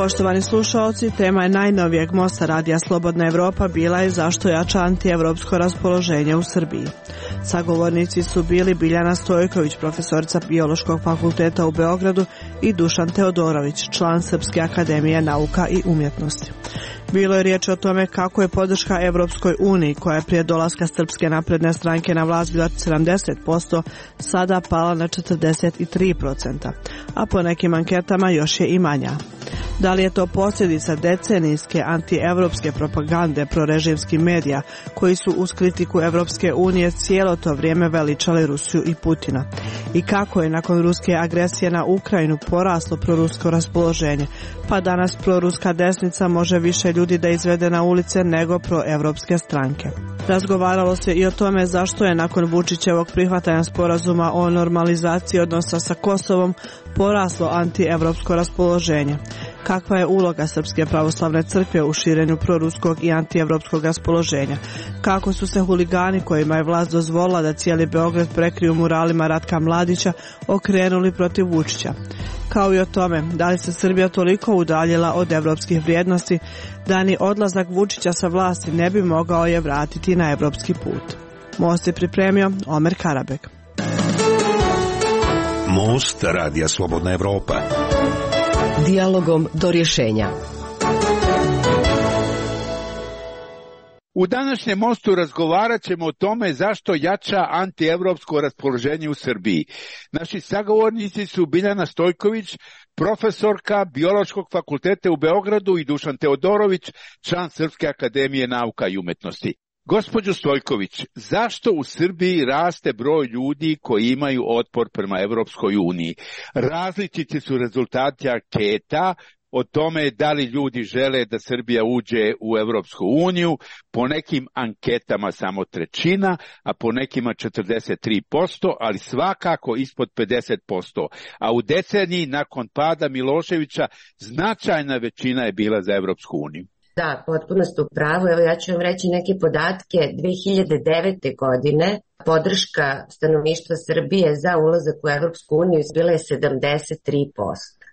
Poštovani slušaoci, tema je najnovijeg mosta radija Slobodna Evropa bila je zašto jača antievropsko raspoloženje u Srbiji. Sagovornici su bili Biljana Stojković, profesorica Biološkog fakulteta u Beogradu, i Dušan Teodorović, član Srpske akademije nauka i umjetnosti. Bilo je riječ o tome kako je podrška Evropskoj uniji, koja je prije dolaska Srpske napredne stranke na vlast bila 70%, sada pala na 43%, a po nekim anketama još je i manja. Da li je to posljedica decenijske antievropske propagande prorežimskih medija koji su uz kritiku Evropske unije cijelo to vrijeme veličali Rusiju i Putina? I kako je nakon ruske agresije na Ukrajinu poraslo prorusko raspoloženje, pa danas proruska desnica može više ljudi da izvede na ulice nego proevropske stranke? Razgovaralo se i o tome zašto je nakon Vučićevog prihvatanja sporazuma o normalizaciji odnosa sa Kosovom poraslo antievropsko raspoloženje. Kakva je uloga Srpske pravoslavne crkve u širenju proruskog i antievropskog raspoloženja? Kako su se huligani kojima je vlast dozvolila da cijeli Beograd prekriju muralima Ratka Mladića okrenuli protiv Vučića? Kao i o tome, da li se Srbija toliko udaljila od evropskih vrijednosti da ni odlazak Vučića sa vlasti ne bi mogao je vratiti na evropski put? Most je pripremio Omer Karabek. Most radija Slobodna Evropa. Dijalogom do rješenja. U današnjem mostu razgovarat ćemo o tome zašto jača antievropsko raspoloženje u Srbiji. Naši sagovornici su Biljana Stojković, profesorka Biološkog fakulteta u Beogradu, i Dušan Teodorović, član Srpske akademije nauka i umjetnosti. Gospođo Stojković, zašto u Srbiji raste broj ljudi koji imaju otpor prema Evropskoj uniji? Različiti su rezultati anketa o tome da li ljudi žele da Srbija uđe u Evropsku uniju, po nekim anketama samo trećina, a po nekima 43%, ali svakako ispod 50%. A u deceniji nakon pada Miloševića značajna većina je bila za Evropsku uniju. Da, potpuno ste u pravu. Evo ja ću vam reći neke podatke. 2009. godine podrška stanovništva Srbije za ulazak u Evropsku uniju bila je 73%,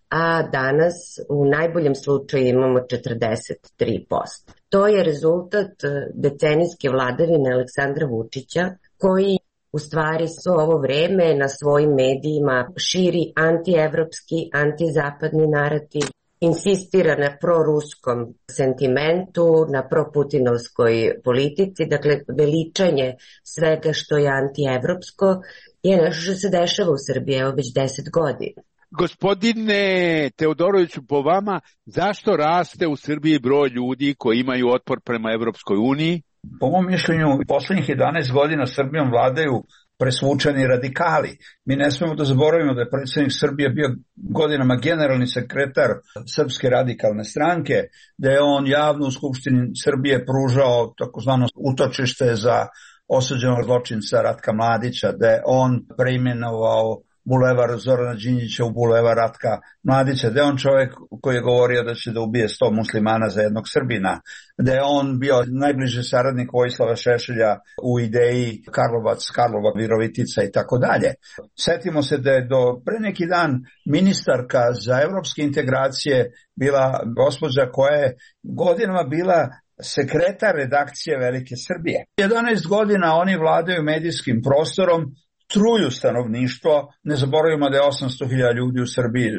a danas u najboljem slučaju imamo 43%. To je rezultat decenijske vladavine Aleksandra Vučića, koji u stvari svo ovo vreme na svojim medijima širi antievropski, antizapadni narativ, insistira na proruskom sentimentu, na proputinovskoj politici, dakle veličanje svega što je antievropsko je nešto što se dešava u Srbiji evo već 10 godina. Gospodine Teodoroviću, po vama, zašto raste u Srbiji broj ljudi koji imaju otpor prema Evropskoj uniji? Po mom mišljenju, posljednjih 11 godina Srbijom vladaju presvučeni radikali. Mi ne smemo da zaboravimo da je predsjednik Srbije bio godinama generalni sekretar Srpske radikalne stranke, da je on javno u Skupštini Srbije pružao takozvano utočište za osuđenog zločinca Ratka Mladića, da je on preimenovao bulevar Zorana Đinđića u bulevar Ratka Mladića, da je on čovjek koji je govorio da će da ubije 100 muslimana za jednog Srbina, da je on bio najbliži saradnik Vojislava Šešelja u ideji Karlova, Virovitica i tako dalje. Setimo se da je do pre neki dan ministarka za evropske integracije bila gospođa koja je godinama bila sekretar redakcije Velike Srbije. 11 godina oni vladaju medijskim prostorom, truju stanovništvo, ne zaboravimo da je 800.000 ljudi u Srbiji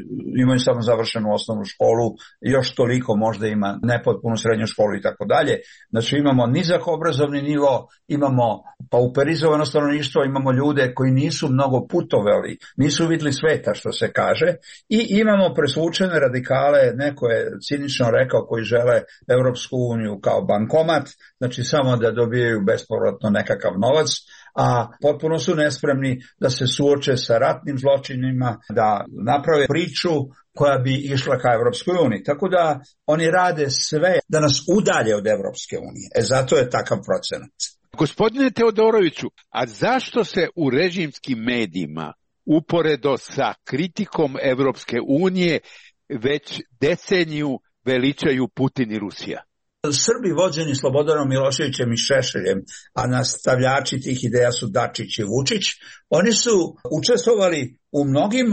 imaju samo završenu osnovnu školu, još toliko možda ima nepotpunu srednju školu i tako dalje. Znači imamo nizak obrazovni nivo, imamo pauperizovano stanovništvo, imamo ljude koji nisu mnogo putovali, nisu vidjeli sveta što se kaže, i imamo presvučene radikale, neko je cinično rekao, koji žele Evropsku uniju kao bankomat, znači samo da dobijaju bespovratno nekakav novac, a potpuno su nespremni da se suoče sa ratnim zločinima, da naprave priču koja bi išla ka Evropskoj uniji. Tako da oni rade sve da nas udalje od Evropske unije. Zato je takav procenat. Gospodine Teodoroviću, a zašto se u režimskim medijima uporedo sa kritikom Evropske unije već deceniju veličaju Putin i Rusija? Srbi vođeni Slobodanom Miloševićem i Šešeljem, a nastavljači tih ideja su Dačić i Vučić, oni su učestvovali u mnogim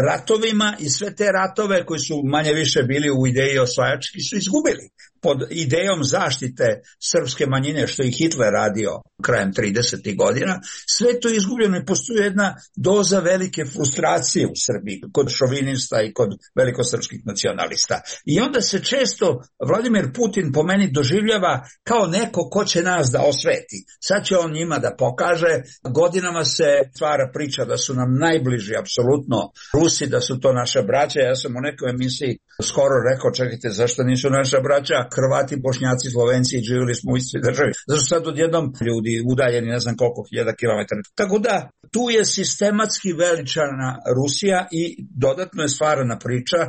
ratovima i sve te ratove koji su manje više bili u ideji osvajački su izgubili. Pod idejom zaštite srpske manjine, što je Hitler radio krajem 30. godina, sve to je izgubljeno i postoji jedna doza velike frustracije u Srbiji kod šovinista i kod velikosrpskih nacionalista. I onda se često Vladimir Putin po meni doživljava kao neko ko će nas da osveti. Sad će on njima da pokaže. Godinama se stvara priča da su nam najbliži apsolutno Rusi, da su to naša braća. Ja sam u nekoj emisiji skoro rekao, čekajte, zašto nisu naša braća? Hrvati, Bošnjaci, Slovenci, živjeli smo u istoj državi. Zašto sad odjednom ljudi udaljeni ne znam koliko hiljada kilometara. Tako da tu je sistematski veličana Rusija i dodatno je stvarana priča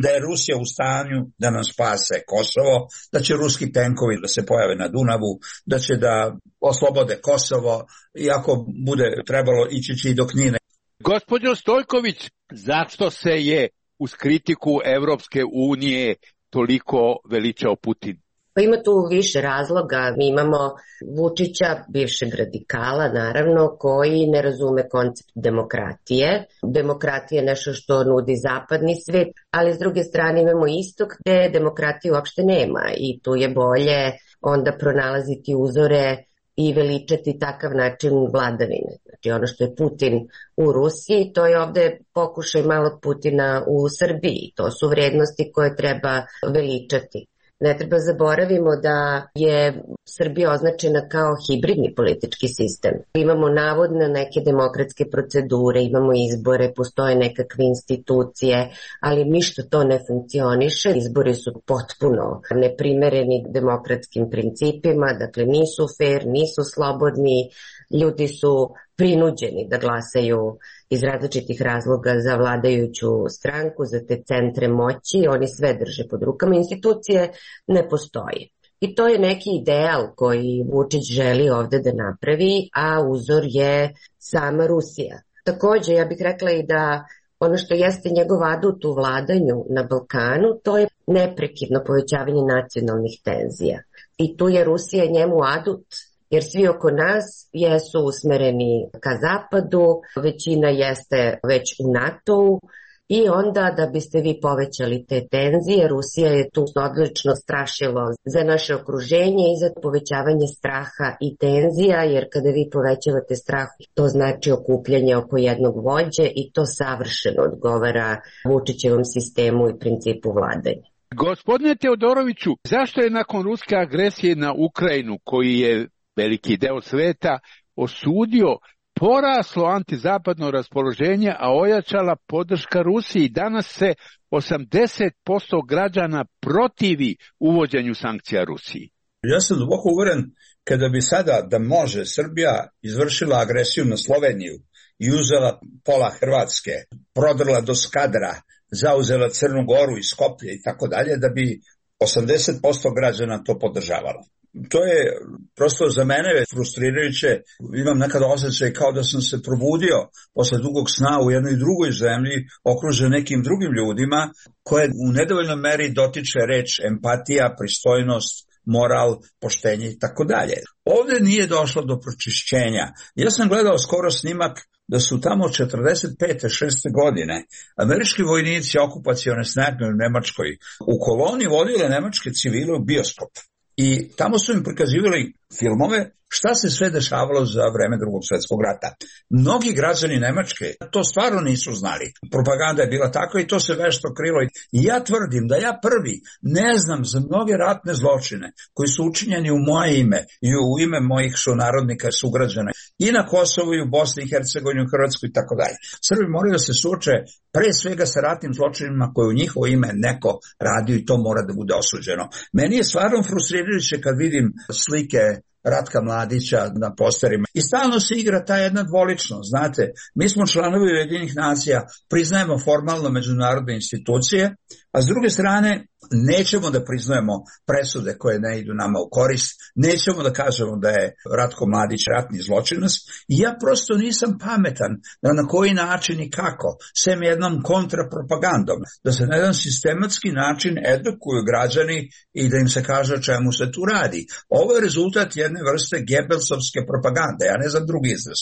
da je Rusija u stanju da nam spase Kosovo, da će ruski tenkovi da se pojave na Dunavu, da će da oslobode Kosovo, iako bude trebalo ići i do Knine. Gospođo Stojković, zašto se je uz kritiku Evropske unije toliko veličao Putin? Pa ima tu više razloga. Mi imamo Vučića, bivšeg radikala naravno, koji ne razume koncept demokratije. Demokratija je nešto što nudi zapadni svet, ali s druge strane imamo istok gde demokratije uopšte nema i tu je bolje onda pronalaziti uzore i veličati takav način vladavine. Znači ono što je Putin u Rusiji, to je ovde pokušaj malog Putina u Srbiji. To su vrednosti koje treba veličati. Ne treba zaboravimo da je Srbija označena kao hibridni politički sistem. Imamo navodno neke demokratske procedure, imamo izbore, postoje nekakve institucije, ali ništa to ne funkcioniše. Izbori su potpuno neprimereni demokratskim principima, dakle nisu fair, nisu slobodni, ljudi su prinuđeni da glasaju iz različitih razloga za vladajuću stranku, za te centre moći, oni sve drže pod rukama, institucije ne postoje. I to je neki ideal koji Vučić želi ovde da napravi, a uzor je sama Rusija. Takođe, ja bih rekla i da ono što jeste njegov adut u vladanju na Balkanu, to je neprekidno povećavanje nacionalnih tenzija. I tu je Rusija njemu adut, jer svi oko nas jesu usmereni ka zapadu, većina jeste već u NATO-u i onda da biste vi povećali te tenzije, Rusija je tu odlično strašilo za naše okruženje i za povećavanje straha i tenzija, jer kada vi povećavate strah, to znači okupljanje oko jednog vođe i to savršeno odgovara Vučićevom sistemu i principu vladanja. Gospodine Teodoroviću, zašto je nakon ruske agresije na Ukrajinu, koji je veliki deo sveta osudio, poraslo antizapadno raspoloženje, a ojačala podrška Rusiji? Danas se 80% građana protivi uvođenju sankcija Rusiji. Ja sam duboko uveren kada bi sada da može Srbija izvršila agresiju na Sloveniju i uzela pola Hrvatske, prodrla do Skadra, zauzela Crnu Goru i Skoplje i tako dalje, da bi 80% građana to podržavalo. To je prosto za mene frustrirajuće. Imam nekada osjećaj kao da sam se probudio posle dugog sna u jednoj drugoj zemlji, okružen nekim drugim ljudima, koje u nedovoljnoj meri dotiče reč empatija, pristojnost, moral, poštenje i tako dalje. Ovde nije došlo do pročišćenja. Ja sam gledao skoro snimak da su tamo 45. 6. godine američki vojnici okupacione snage u Nemačkoj u koloni vodile nemačke civile u bioskop. I tamo su im prikazivali filmove šta se sve dešavalo za vreme Drugog svjetskog rata. Mnogi građani Nemačke to stvarno nisu znali. Propaganda je bila takva i to se vešto krilo. I ja tvrdim da ja prvi ne znam za mnoge ratne zločine koji su učinjeni u moje ime i u ime mojih sunarodnika, sugrađana i na Kosovu i u Bosni i Hercegovini, u Hrvatskoj i tako dalje. Srbi moraju da se suoče pre svega sa ratnim zločinima koje u njihovo ime neko radio i to mora da bude osuđeno. Meni je stvarno frustrirajuće kad vidim slike Ratka Mladića na posterima. I stalno se igra ta jedna dvoličnost, znate, mi smo članovi Ujedinjenih nacija, priznajemo formalno međunarodne institucije, a s druge strane nećemo da priznajemo presude koje ne idu nama u korist, nećemo da kažemo da je Ratko Mladić ratni zločinac i ja prosto nisam pametan da na koji način i kako, sem jednom kontrapropagandom, da se na jedan sistematski način edukuju građani i da im se kaže o čemu se tu radi. Ovo je rezultat jedne vrste Gebelsovske propagande, ja ne znam drugi izraz.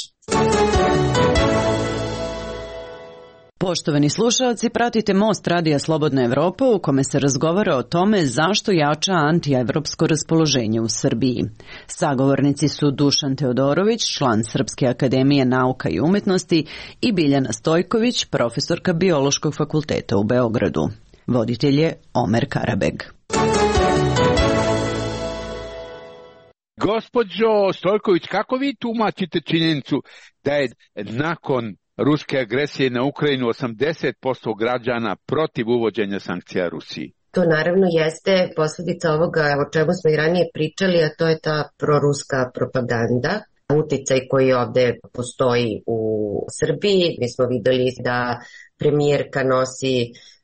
Poštovani slušalci, pratite Most Radija Slobodna Evropa u kome se razgovara o tome zašto jača antievropsko raspoloženje u Srbiji. Sagovornici su Dušan Teodorović, član Srpske akademije nauka i umetnosti, i Biljana Stojković, profesorka Biološkog fakulteta u Beogradu. Voditelj je Omer Karabeg. Gospođo Stojković, kako vi tumačite činjenicu da je nakon ruske agresije na Ukrajinu 80% građana protiv uvođenja sankcija Rusiji? To naravno jeste posljedica ovoga o čemu smo i ranije pričali, a to je ta proruska propaganda, uticaj koji ovde postoji u Srbiji. Mi smo videli da premijerka nosi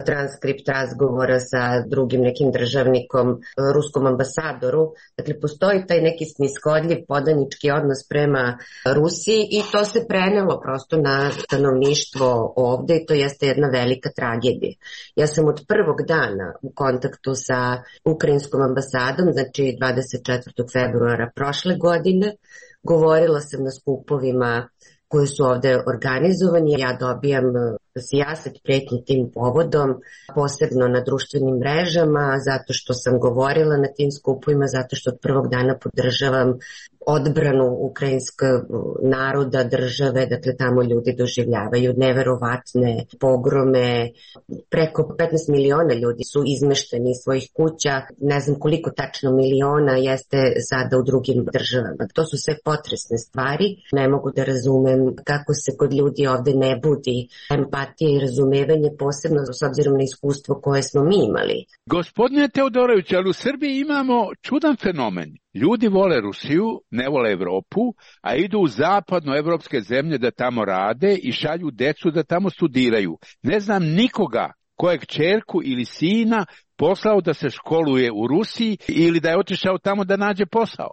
transkript razgovora sa drugim nekim državnikom, ruskom ambasadoru. Dakle, postoji taj neki snishodljiv podanički odnos prema Rusiji i to se prenelo prosto na stanovništvo ovde i to jeste jedna velika tragedija. Ja sam od prvog dana u kontaktu sa ukrajinskom ambasadom, znači 24. februara prošle godine, govorila sam na skupovima koji su ovde organizovani. Ja dobijam sijaset pretnji tim povodom, posebno na društvenim mrežama, zato što sam govorila na tim skupovima, zato što od prvog dana podržavam odbranu ukrajinskog naroda, države, dakle tamo ljudi doživljavaju neverovatne pogrome, preko 15 miliona ljudi su izmešteni iz svojih kuća, ne znam koliko tačno miliona jeste sada u drugim državama. To su sve potresne stvari, ne mogu da razumem kako se kod ljudi ovde ne budi empatija i razumevanje, posebno s obzirom na iskustvo koje smo mi imali. Gospodine Teodorović, ali u Srbiji imamo čudan fenomen. Ljudi vole Rusiju, ne vole Evropu, a idu u zapadnoevropske zemlje da tamo rade i šalju decu da tamo studiraju. Ne znam nikoga kojeg ćerku ili sina poslao da se školuje u Rusiji ili da je otišao tamo da nađe posao.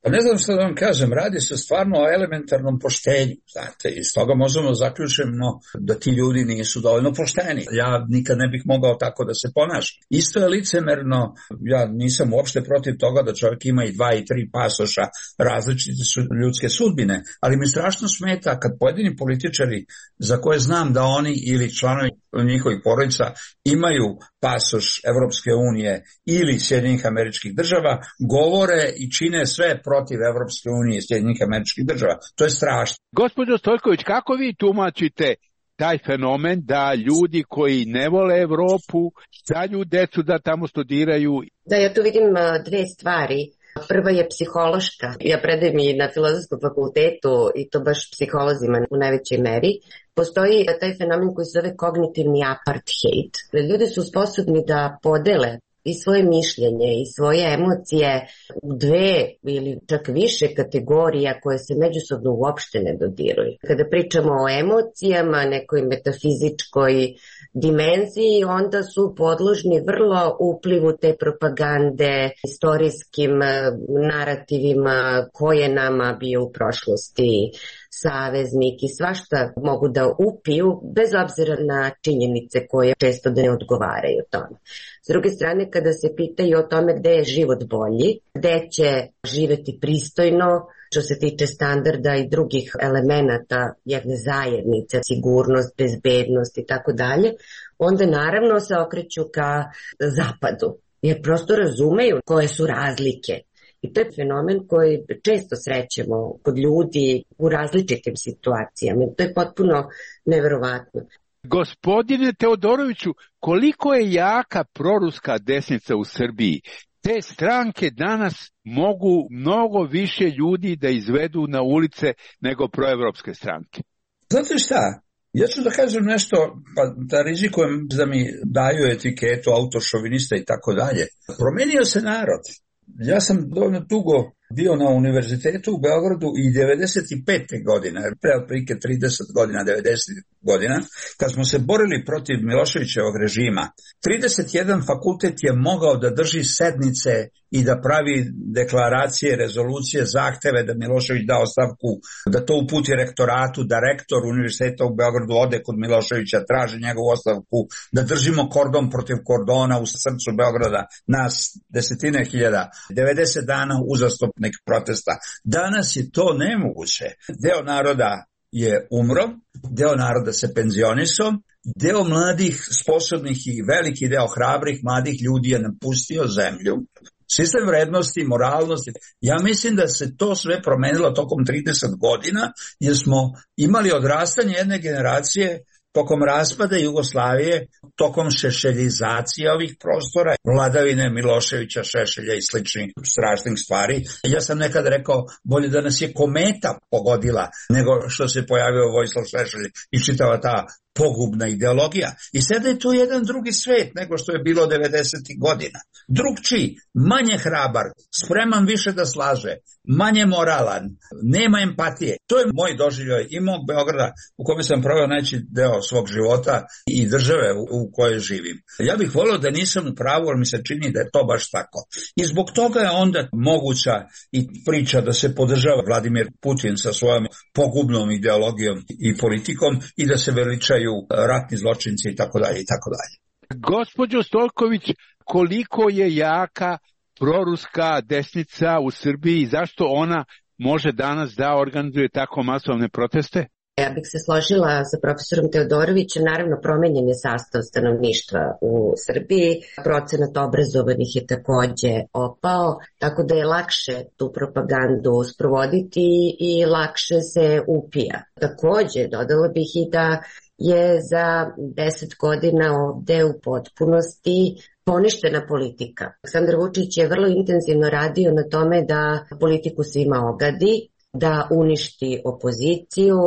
Pa ne znam što da vam kažem, radi se stvarno o elementarnom poštenju, znate, iz toga možemo zaključimo da ti ljudi nisu dovoljno pošteni. Ja nikad ne bih mogao tako da se ponašam. Isto je licemerno, ja nisam uopšte protiv toga da čovjek ima i 2 i 3 pasoša, različite su ljudske sudbine, ali mi strašno smeta kad pojedini političari za koje znam da oni ili članovi njihovih porodica imaju pasoš Evropske unije ili Sjedinjenih Američkih Država, govore i čine sve protiv Evropske unije i Sjedinjenih Američkih Država. To je strašno. Gospođo Stojković, kako vi tumačite taj fenomen da ljudi koji ne vole Evropu šalju decu da tamo studiraju? Da, ja tu vidim dve stvari. Prva je psihološka. Ja predajem i na Filozofskom fakultetu i to baš psiholozima u najvećoj meri. Postoji taj fenomen koji se zove kognitivni apartheid. Ljudi su sposobni da podele i svoje mišljenje i svoje emocije u 2 ili čak više kategorija koje se međusobno uopšte ne dodiruju. Kada pričamo o emocijama, nekoj metafizičkoj dimenziji, onda su podložni vrlo uplivu te propagande, istorijskim narativima koje nama bio u prošlosti saveznik i svašta mogu da upiju bez obzira na činjenice koje često da ne odgovaraju tome. S druge strane, kada se pitaju o tome gde je život bolji, gde će živeti pristojno, što se tiče standarda i drugih elemenata jedne zajednice, sigurnost, bezbednost i tako dalje, onda naravno se okreću ka zapadu, jer prosto razumeju koje su razlike. I to je fenomen koji često srećemo kod ljudi u različitim situacijama. To je potpuno neverovatno. Gospodine Teodoroviću, koliko je jaka proruska desnica u Srbiji? Te stranke danas mogu mnogo više ljudi da izvedu na ulice nego proevropske stranke. Znate šta? Ja ću da kažem nešto, pa da rizikujem da mi daju etiketu autošovinista i tako dalje. Promenio se narod. Ja sam dovoljno dugo bio na univerzitetu u Beogradu i 95. godine, pre otprilike 30 godina, 90 godina, kad smo se borili protiv Miloševićevog režima, 31 fakultet je mogao da drži sednice i da pravi deklaracije, rezolucije, zahteve da Milošević da ostavku, da to uputi rektoratu, da rektor univerziteta u Beogradu ode kod Miloševića, traži njegovu ostavku, da držimo kordon protiv kordona u srcu Beograda, nas desetine hiljada, 90 dana uzastopnih protesta. Danas je to nemoguće. Deo naroda je umro, deo naroda se penzionisao, deo mladih, sposobnih i veliki deo hrabrih mladih ljudi je napustio zemlju. Sistem vrednosti, moralnosti, ja mislim da se to sve promenilo tokom 30 godina, jer smo imali odrastanje jedne generacije tokom raspada Jugoslavije, tokom šešeljizacije ovih prostora, vladavine Miloševića, Šešelja i sličnih strašnih stvari. Ja sam nekad rekao, bolje da nas je kometa pogodila nego što se pojavio Vojislav Šešelj i čitava ta pogubna ideologija. I sada je to jedan drugi svet nego što je bilo 90. godina. Drugčiji, manje hrabar, spreman više da slaže, manje moralan, nema empatije. To je moj doživljaj i mog Beograda u kome sam proveo najveći deo svog života i države u kojoj živim. Ja bih volio da nisam u pravu, ali mi se čini da je to baš tako. I zbog toga je onda moguća i priča da se podržava Vladimir Putin sa svojom pogubnom ideologijom i politikom i da se veličaju ratni zločinci i tako dalje i tako dalje. Gospođo Stojković, koliko je jaka proruska desnica u Srbiji i zašto ona može danas da organizuje tako masovne proteste? Ja bih se složila sa profesorom Teodorovićem, naravno promenjen je sastav stanovništva u Srbiji, procenat obrazovanih je takođe opao, tako da je lakše tu propagandu sprovoditi i lakše se upija. Takođe, dodala bih i da je za 10 godina ovde u potpunosti poništena politika. Aleksandar Vučić je vrlo intenzivno radio na tome da politiku svima ogadi, da uništi opoziciju.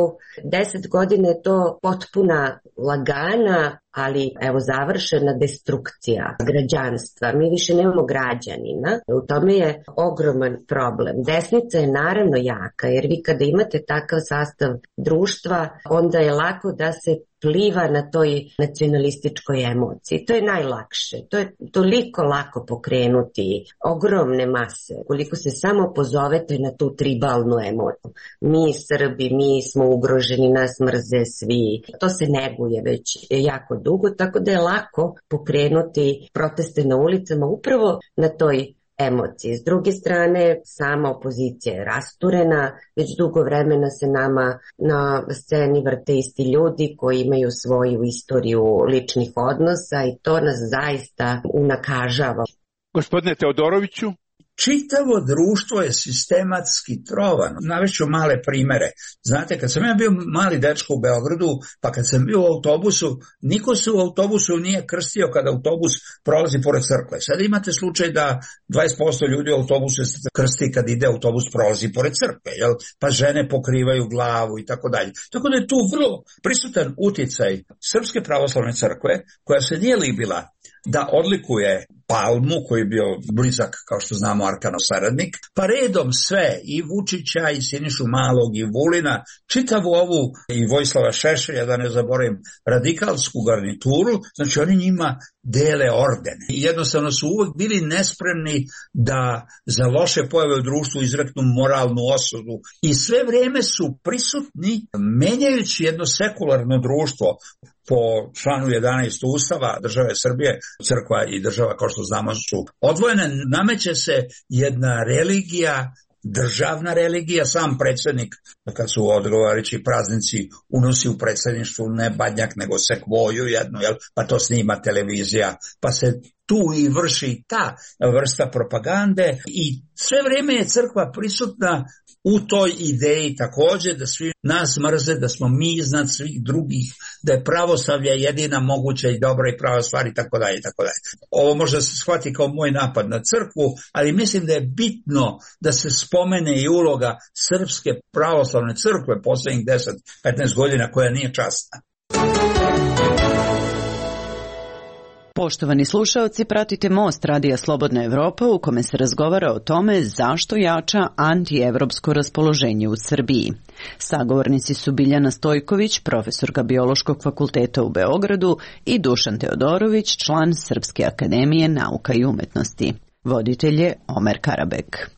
10 godina je to potpuna lagana, ali evo završena destrukcija građanstva. Mi više nemamo građanina. U tome je ogroman problem. Desnica je naravno jaka, jer vi kada imate takav sastav društva, onda je lako da se pliva na toj nacionalističkoj emociji. To je najlakše. To je toliko lako pokrenuti ogromne mase. Koliko se samo pozovete na tu tribalnu emociju. Mi Srbi, mi smo ugroženi, nas mrze svi. To se neguje već jako dugo, tako da je lako pokrenuti proteste na ulicama upravo na toj emocije. S druge strane, sama opozicija je rasturena, već dugo vremena se nama na sceni vrte isti ljudi koji imaju svoju istoriju ličnih odnosa i to nas zaista unakažava. Gospodine Teodoroviću? Čitavo društvo je sistematski trovano. Navešću male primere. Znate, kad sam ja bio mali dečko u Beogradu, pa kad sam bio u autobusu, niko se u autobusu nije krstio kada autobus prolazi pored crkve. Sada imate slučaj da 20% ljudi u autobusu se krsti kad ide autobus prolazi pored crkve, jel? Pa žene pokrivaju glavu i tako dalje. Tako da je tu vrlo prisutan uticaj Srpske pravoslavne crkve, koja se nije libila da odlikuje Palmu, koji je bio blizak, kao što znamo, Arkanov saradnik, pa redom sve, i Vučića, i Sinišu Malog, i Vulina, čitavu ovu, i Vojislava Šešelja, da ne zaboravim, radikalsku garnituru, znači oni njima dele ordene. I jednostavno su uvek bili nespremni da za loše pojave u društvu izreknu moralnu osudu. I sve vreme su prisutni, menjajući jedno sekularno društvo. Po članu 11 Ustava države Srbije, crkva i država, kao što znamo, su odvojene. Nameće se jedna religija, državna religija. Sam predsjednik, kad su odgovarajući praznici, unosi u predsjedništvu ne badnjak, nego sekvoju jednu, jel? Pa to snima televizija, pa se tu i vrši ta vrsta propagande i sve vrijeme je crkva prisutna u toj ideji također da svi nas mrze, da smo mi iznad svih drugih, da je pravoslavlje jedina moguća i dobra i prava stvar i tako dalje, tako dalje. Ovo možda se shvati kao moj napad na crkvu, ali mislim da je bitno da se spomene i uloga Srpske pravoslavne crkve posljednjih 10-15 godina koja nije časna. Poštovani slušaoci, pratite Most Radija Slobodna Evropa u kome se razgovara o tome zašto jača antievropsko raspoloženje u Srbiji. Sagovornici su Biljana Stojković, profesorka Biološkog fakulteta u Beogradu, i Dušan Teodorović, član Srpske akademije nauka i umetnosti. Voditelj je Omer Karabek.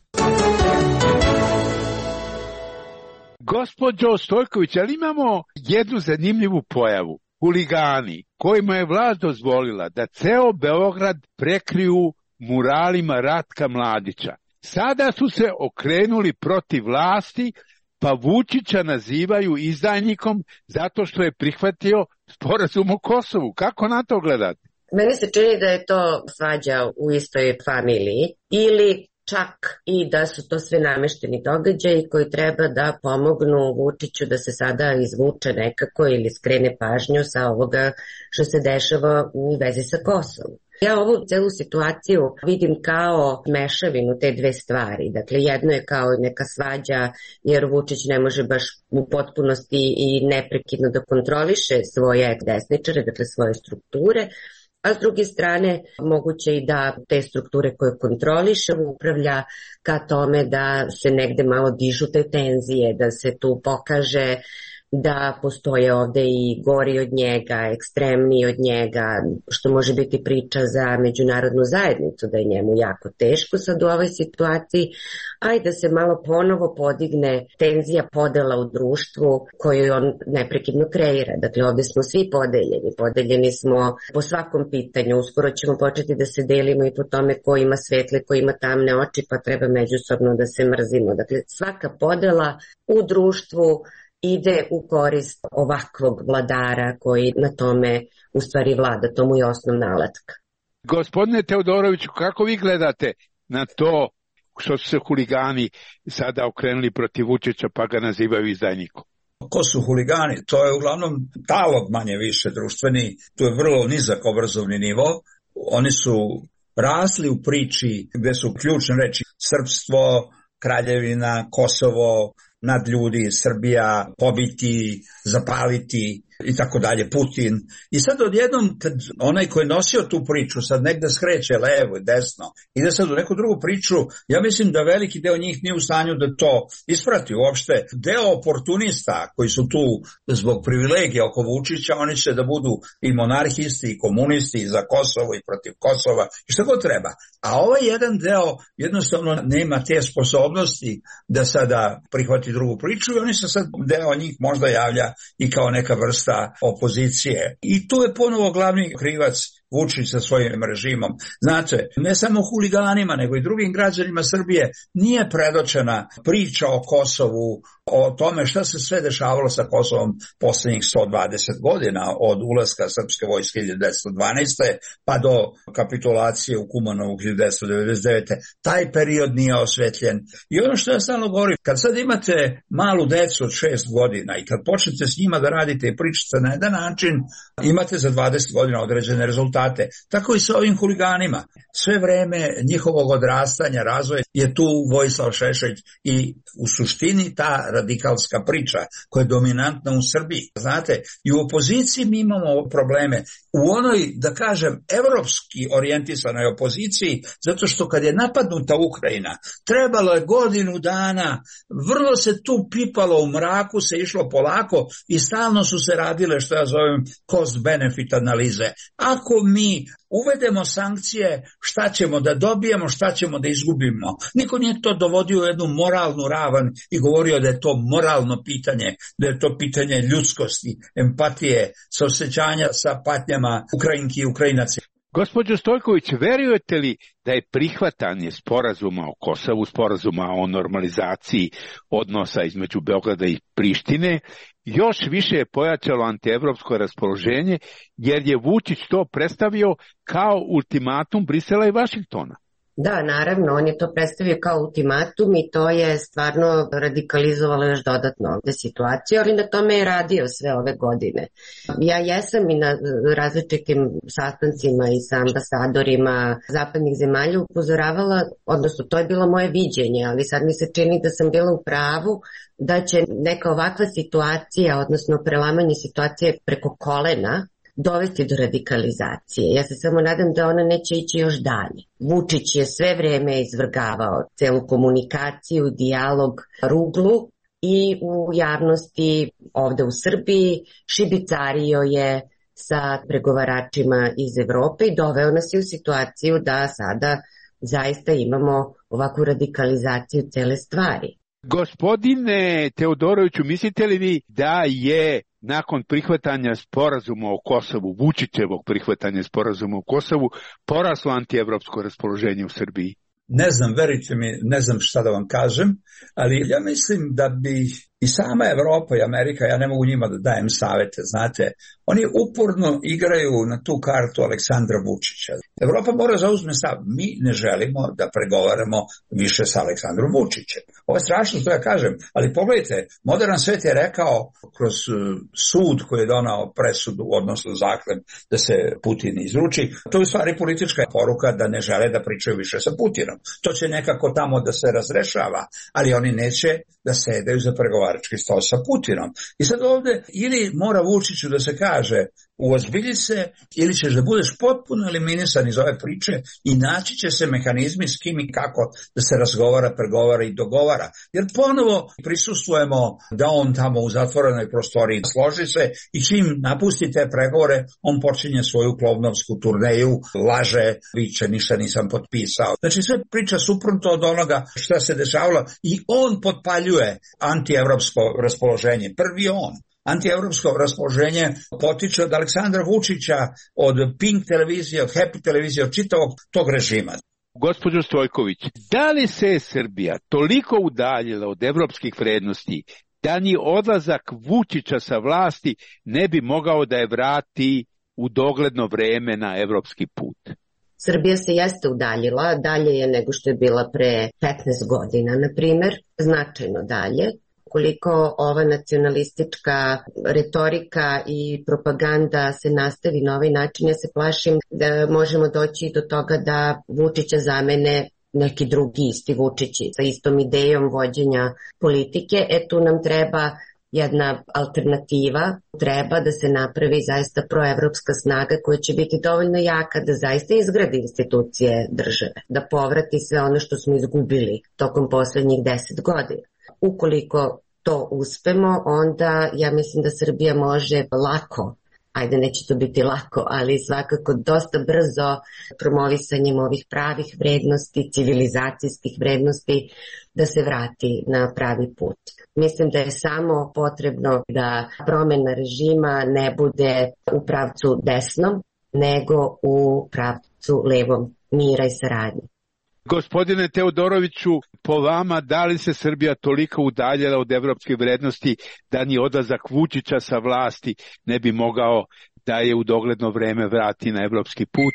Gospođo Stojković, ali imamo jednu zanimljivu pojavu. Huligani, kojima je vlast dozvolila da ceo Beograd prekriju muralima Ratka Mladića. Sada su se okrenuli protiv vlasti pa Vučića nazivaju izdajnikom zato što je prihvatio sporazum o Kosovu. Kako na to gledate? Meni se čini da je to svađa u istoj familiji ili čak i da su to sve namešteni događaji koji treba da pomognu Vučiću da se sada izvuče nekako ili skrene pažnju sa ovoga što se dešava u vezi sa Kosovom. Ja ovu celu situaciju vidim kao mešavinu te dve stvari. Dakle, jedno je kao neka svađa jer Vučić ne može baš u potpunosti i neprekidno da kontroliše svoje desničare, dakle svoje strukture, a s druge strane moguće i da te strukture koje kontroliše upravlja ka tome da se negde malo dižu te tenzije, da se tu pokaže da postoje ovde i gori od njega, ekstremniji od njega, što može biti priča za međunarodnu zajednicu, da je njemu jako teško sad u ovoj situaciji, a i da se malo ponovo podigne tenzija podela u društvu koju on neprekidno kreira. Dakle, ovde smo svi podeljeni smo po svakom pitanju, uskoro ćemo početi da se delimo i po tome ko ima svetle, ko ima tamne oči, pa treba međusobno da se mrzimo. Dakle, svaka podela u društvu ide u korist ovakvog vladara koji na tome u stvari vlada, to mu je osnovna alatka. Gospodine Teodoroviću, kako vi gledate na to što su se huligani sada okrenuli protiv Vučića pa ga nazivaju izdajnikom? Ko su huligani? To je uglavnom talog manje više društveni, to je vrlo nizak obrazovni nivo. Oni su rasli u priči gde su ključne reči srpstvo, kraljevina, Kosovo, nadljudi, Srbija, pobiti, zapaliti i tako dalje, Putin. I sad odjednom, kad onaj koji je nosio tu priču sad negde skreće levo i desno, ide sad u neku drugu priču, ja mislim da veliki deo njih nije u stanju da to isprati uopšte. Deo oportunista koji su tu zbog privilegija oko Vučića, oni će da budu i monarhisti i komunisti i za Kosovo i protiv Kosova i što god treba. A ovaj jedan deo jednostavno nema te sposobnosti da sada prihvati drugu priču i oni se sad, deo njih možda javlja i kao neka vrsta opozicije. I tu je ponovo glavni krivac Vučić sa svojim režimom. Znate, ne samo huliganima, nego i drugim građanima Srbije nije predočena priča o Kosovu, o tome šta se sve dešavalo sa Kosovom poslednjih 120 godina, od ulaska srpske vojske 1912. pa do kapitulacije u Kumanovu 1999. Taj period nije osvetljen. I ono što ja stalno govorim, kad sad imate malu decu od 6 godina i kad počnete s njima da radite i pričate na jedan način, imate za 20 godina određene rezultate. Tako i sa ovim huliganima. Sve vreme njihovog odrastanja, razvoja je tu Vojislav Šešelj i u suštini ta radikalska priča koja je dominantna u Srbiji. Znate, i u opoziciji mi imamo probleme. U onoj, da kažem, evropski orijentisanoj opoziciji, zato što kad je napadnuta Ukrajina, trebalo je godinu dana, vrlo se tu pipalo u mraku, se išlo polako i stalno su se radile, što ja zovem, cost-benefit analize. Ako mi uvedemo sankcije, šta ćemo da dobijemo, šta ćemo da izgubimo. Niko nije to dovodio u jednu moralnu ravan i govorio da je to moralno pitanje, da je to pitanje ljudskosti, empatije, saosećanja sa patnjama Ukrajinki i Ukrajinaca. Gospođo Stojković, verujete li da je prihvatanje sporazuma o Kosovu, sporazuma o normalizaciji odnosa između Beograda i Prištine, još više je pojačalo antievropsko raspoloženje, jer je Vučić to predstavio kao ultimatum Brisela i Vašingtona? Da, naravno, on je to predstavio kao ultimatum i to je stvarno radikalizovalo još dodatno ovde situaciju, ali na tome je radio sve ove godine. Ja jesam i na različitim sastancima i sa ambasadorima zapadnih zemalja upozoravala, odnosno to je bilo moje viđenje, ali sad mi se čini da sam bila u pravu da će neka ovakva situacija, odnosno prelamanje situacije preko kolena, dovesti do radikalizacije. Ja se samo nadam da ona neće ići još dalje. Vučić je sve vreme izvrgavao celu komunikaciju, dijalog ruglu i u javnosti ovde u Srbiji šibicario je sa pregovaračima iz Evrope i doveo nas je u situaciju da sada zaista imamo ovakvu radikalizaciju cele stvari. Gospodine Teodoroviću, mislite li vi da je nakon prihvatanja sporazuma o Kosovu, Vučićevog prihvatanja sporazuma o Kosovu, poraslo antievropsko raspoloženje u Srbiji? ne znam, verujte mi, ne znam šta da vam kažem, ali ja mislim da bi i sama Evropa i Amerika, ja ne mogu njima da dajem savete, znate, oni uporno igraju na tu kartu Aleksandra Vučića. Evropa mora zauzme stav, mi ne želimo da pregovaramo više sa Aleksandrom Vučićem. Ovo je strašno što ja kažem, ali pogledajte, modern svet je rekao kroz sud koji je donao presudu, odnosno zahtev da se Putin izruči, to je u stvari politička poruka da ne žele da pričaju više sa Putinom. To će nekako tamo da se razrešava, ali oni neće da sedaju za pregovarački stol sa Putinom. I sad ovde ili mora Vučiću da se kaže uozbilji se ili ćeš da budeš potpuno eliminisan iz ove priče i naći će se mehanizmi s kim i kako da se razgovara, pregovara i dogovara. Jer ponovo prisustvujemo da on tamo u zatvorenoj prostoriji složi se i čim napusti te pregovore, on počinje svoju klovnovsku turneju, laže, viče, ništa nisam potpisao. Znači sve priča suprotno od onoga šta se dešavalo i on potpaljuje antievropsko raspoloženje. Prvi on. Antievropsko raspoloženje potiče od Aleksandra Vučića, od Pink televizije, od Happy televizije, od čitavog tog režima. Gospođo Stojković, da li se Srbija toliko udaljila od evropskih vrednosti da ni odlazak Vučića sa vlasti ne bi mogao da je vrati u dogledno vreme na evropski put? Srbija se jeste udaljila, dalje je nego što je bila pre 15 godina, na primer, značajno dalje. Koliko ova nacionalistička retorika i propaganda se nastavi na ovaj način, ja se plašim da možemo doći do toga da Vučića zamene neki drugi isti Vučići sa istom idejom vođenja politike. Tu nam treba jedna alternativa, treba da se napravi zaista proevropska snaga koja će biti dovoljno jaka da zaista izgradi institucije države, da povrati sve ono što smo izgubili tokom poslednjih 10 godina. Ukoliko to uspemo, onda ja mislim da Srbija može lako, ajde neće to biti lako, ali svakako dosta brzo promovisanjem ovih pravih vrednosti, civilizacijskih vrednosti, da se vrati na pravi put. Mislim da je samo potrebno da promena režima ne bude u pravcu desnom, nego u pravcu levom mira i saradnje. Gospodine Teodoroviću, po vama, da li se Srbija toliko udaljila od evropskih vrednosti da ni odlazak Vučića sa vlasti ne bi mogao da je u dogledno vreme vrati na evropski put?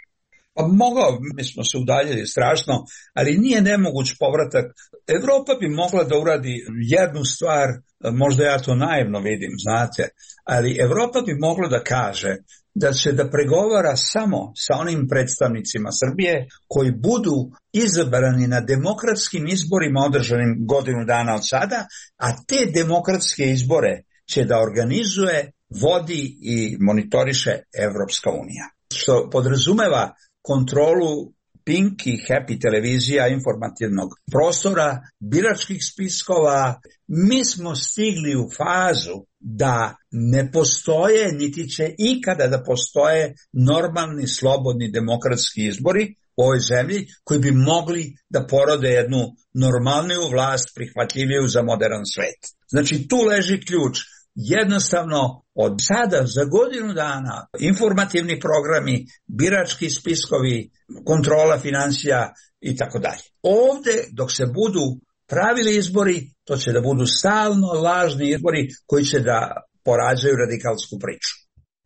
Pa mogao, mi smo se udaljili strašno, ali nije nemoguć povratak. Evropa bi mogla da uradi jednu stvar, možda ja to naivno vidim, znate, ali Evropa bi mogla da kaže da će da pregovara samo sa onim predstavnicima Srbije koji budu izabrani na demokratskim izborima održanim godinu dana od sada, a te demokratske izbore će da organizuje, vodi i monitoriše Evropska unija. Što podrazumeva kontrolu Pink i Happy televizija, informativnog prostora, biračkih spiskova. Mi smo stigli u fazu da ne postoje, niti će ikada da postoje normalni, slobodni, demokratski izbori u ovoj zemlji koji bi mogli da porode jednu normalniju vlast, prihvatljiviju za modern svet. Znači tu leži ključ. Jednostavno od sada za godinu dana informativni programi, birački spiskovi, kontrola financija i tako dalje. Ovde dok se budu pravili izbori, to će da budu stalno lažni izbori koji će da porađaju radikalsku priču.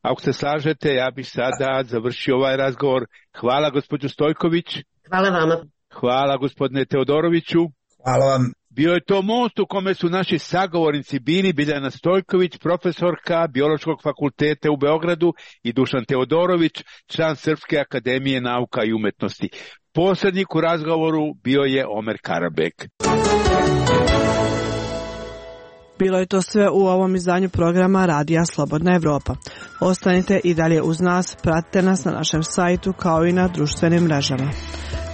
Ako se slažete, ja bih sada završio ovaj razgovor. Hvala gospođo Stojković. Hvala vama. Hvala gospodine Teodoroviću. Hvala vam. Bio je to most u kome su naši sagovornici bili Biljana Stojković, profesorka Biološkog fakulteta u Beogradu, i Dušan Teodorović, član Srpske akademije nauka i umetnosti. Posrednik u razgovoru bio je Omer Karabek. Bilo je to sve u ovom izdanju programa Radija Slobodna Evropa. Ostanite i dalje uz nas, pratite nas na našem sajtu kao i na društvenim mrežama.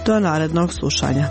Do narednog slušanja.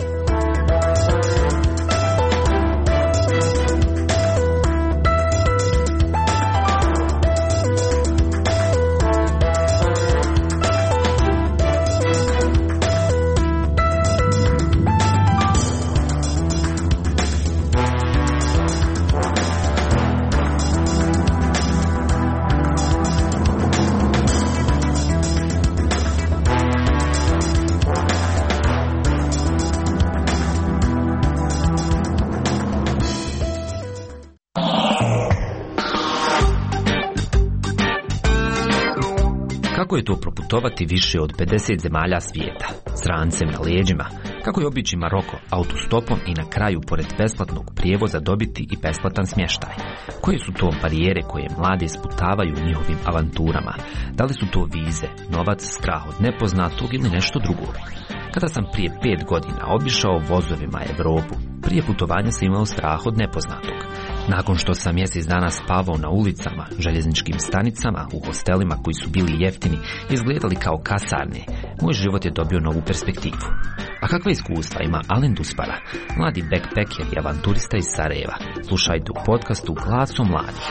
Kako je to proputovati više od 50 zemalja svijeta, s rancem na leđima? Kako je obići Maroko autostopom i na kraju, pored besplatnog prijevoza, dobiti i besplatan smještaj? Koje su to barijere koje mlade sputavaju njihovim avanturama? Da li su to vize, novac, strah od nepoznatog ili nešto drugo? Kada sam prije 5 godina obišao vozovima Evropu, prije putovanja sam imao strah od nepoznatog. Nakon što sam mjesec dana spavao na ulicama, željezničkim stanicama, u hostelima koji su bili jeftini, izgledali kao kasarne, moj život je dobio novu perspektivu. A kakva iskustva ima Alen Duspara, mladi backpacker i avanturista iz Sarajeva? Slušajte u podcastu Glasom mladih.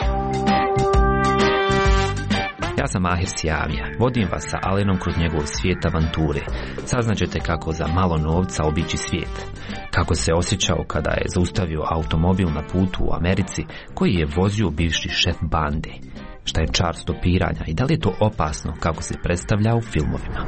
Ja sam Mahir Sijamija, vodim vas sa Alenom kroz njegov svijet avanture. Saznaćete kako za malo novca obići svijet. Kako se osjećao kada je zaustavio automobil na putu u Americi koji je vozio bivši šef bande. Šta je čar stopiranja i da li je to opasno kako se predstavlja u filmovima?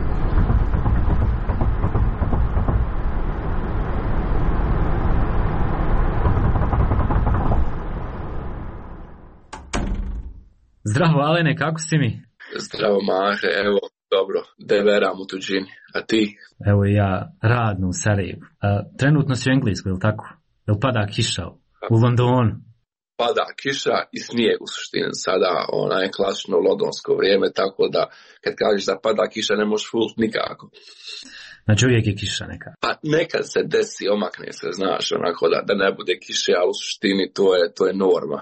Zdravo Alene, kako si mi? Zdravo Mahe, evo, dobro, deveram u tuđini, a ti? Evo ja, radno u Sarajevu. Trenutno si u Engleskoj, je li tako? Jel pada kiša u Londonu? Pada kiša i snijeg u suštini sada, je klasično londonsko vrijeme, tako da kad kažeš da pada kiša ne možeš fult nikako. Znači uvijek je kiša neka? Pa nekad se desi, omakne se, znaš, onako da ne bude kiše, ali u suštini to je norma.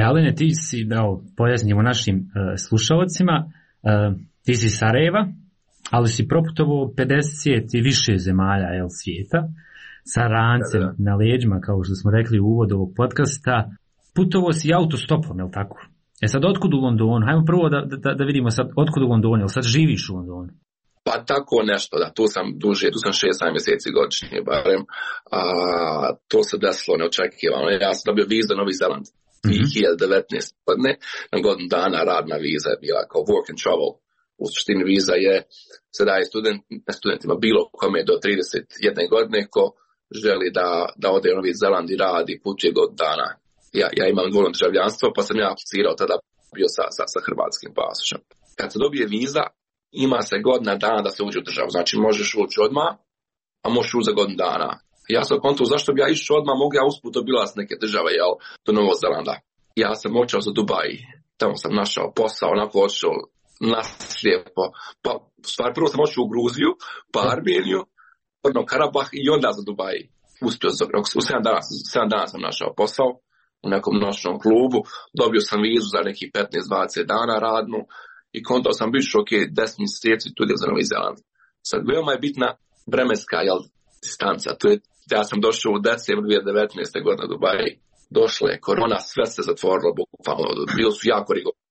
Alene, ti si, pojasnimo našim slušalcima, ti si iz Sarajeva, ali si proputovao 50 i više zemalja svijeta, sa rancem na leđima, kao što smo rekli u uvodu ovog podcasta. Putovao si autostopom, je li tako? Sad, otkud u Londonu? Hajmo prvo da vidimo sad, otkud u Londonu, jel sad živiš u Londonu? Pa tako nešto, da, tu sam duže, tu sam 6 mjeseci godišnje barem, to se desilo neočekivano. Ja sam dobio vizu za Novi Zeland 2019 godine, na godinu dana radna viza je bila kao work and travel. U suštini viza se daje studentima bilo kome do 31 godine ko želi da ode u Novi Zeland i radi, putuje godinu dana. Ja imam dvojno državljanstvo, pa sam ja aplicirao tada bio sa hrvatskim pasošem. Kad se dobije viza, ima se godina dana da se uđe u državu. Znači možeš ući odmah, a možeš ući za godinu dana. Ja sam kontuo zašto bi ja išao odmah, mogu ja usput obilaz neke države, do Novog Zelanda. Ja sam očeo za Dubai, tamo sam našao posao, onako odšao naslijepo. Pa, u stvari, prvo sam očeo u Gruziju, pa Armeniju, Karabah i onda za Dubai. Uspio, u 7 dana sam našao posao u nekom noćnom klubu, dobio sam vizu za neki 15-20 dana radnu, i kontao sam biš, 10 mjeseci tu za Novi Zeland. Sad, veoma je bitna vremenska distanca. Ja sam došao u decembru 2019. godine u Dubai. Došla je korona, sve se zatvorilo, bukvalno. Bilo su jako rigorozno.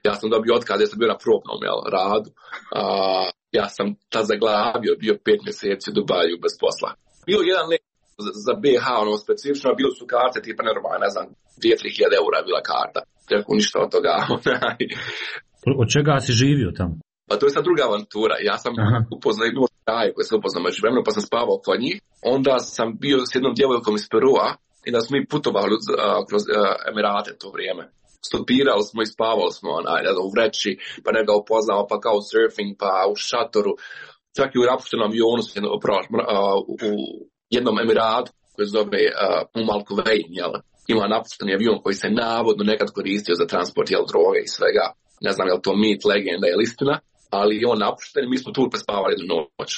Ja sam dobio otkaz, ja sam bio na probnom radu. Ja sam tad zaglavio, bio 5 mjeseci u Dubaju bez posla. Bilo jedan let za BH, specifično, bilo su karte tipa normalno, ne znam, 2-3 eura je bila karta. Rekao, ništa od toga. Od čega si živio tamo? Pa to je sad druga avantura. Ja sam upoznao jednu traje koje sam upoznao među vremenu, pa sam spavao kod njih. Onda sam bio s jednom djevojkom iz Perua i da smo mi putovali kroz Emirate to vrijeme. Stopirali smo i spavali smo u vreći, pa ne ga upoznao, pa kao surfing, pa u šatoru. Čak i u napuštenom avionu u jednom Emiratu koji se zove Al Kuwain, ima napušteni avion koji se navodno nekad koristio za transport droge i svega. Ne znam je li to mit, legenda ili istina, ali je on napušten i mi smo tu prespavali jednu noć.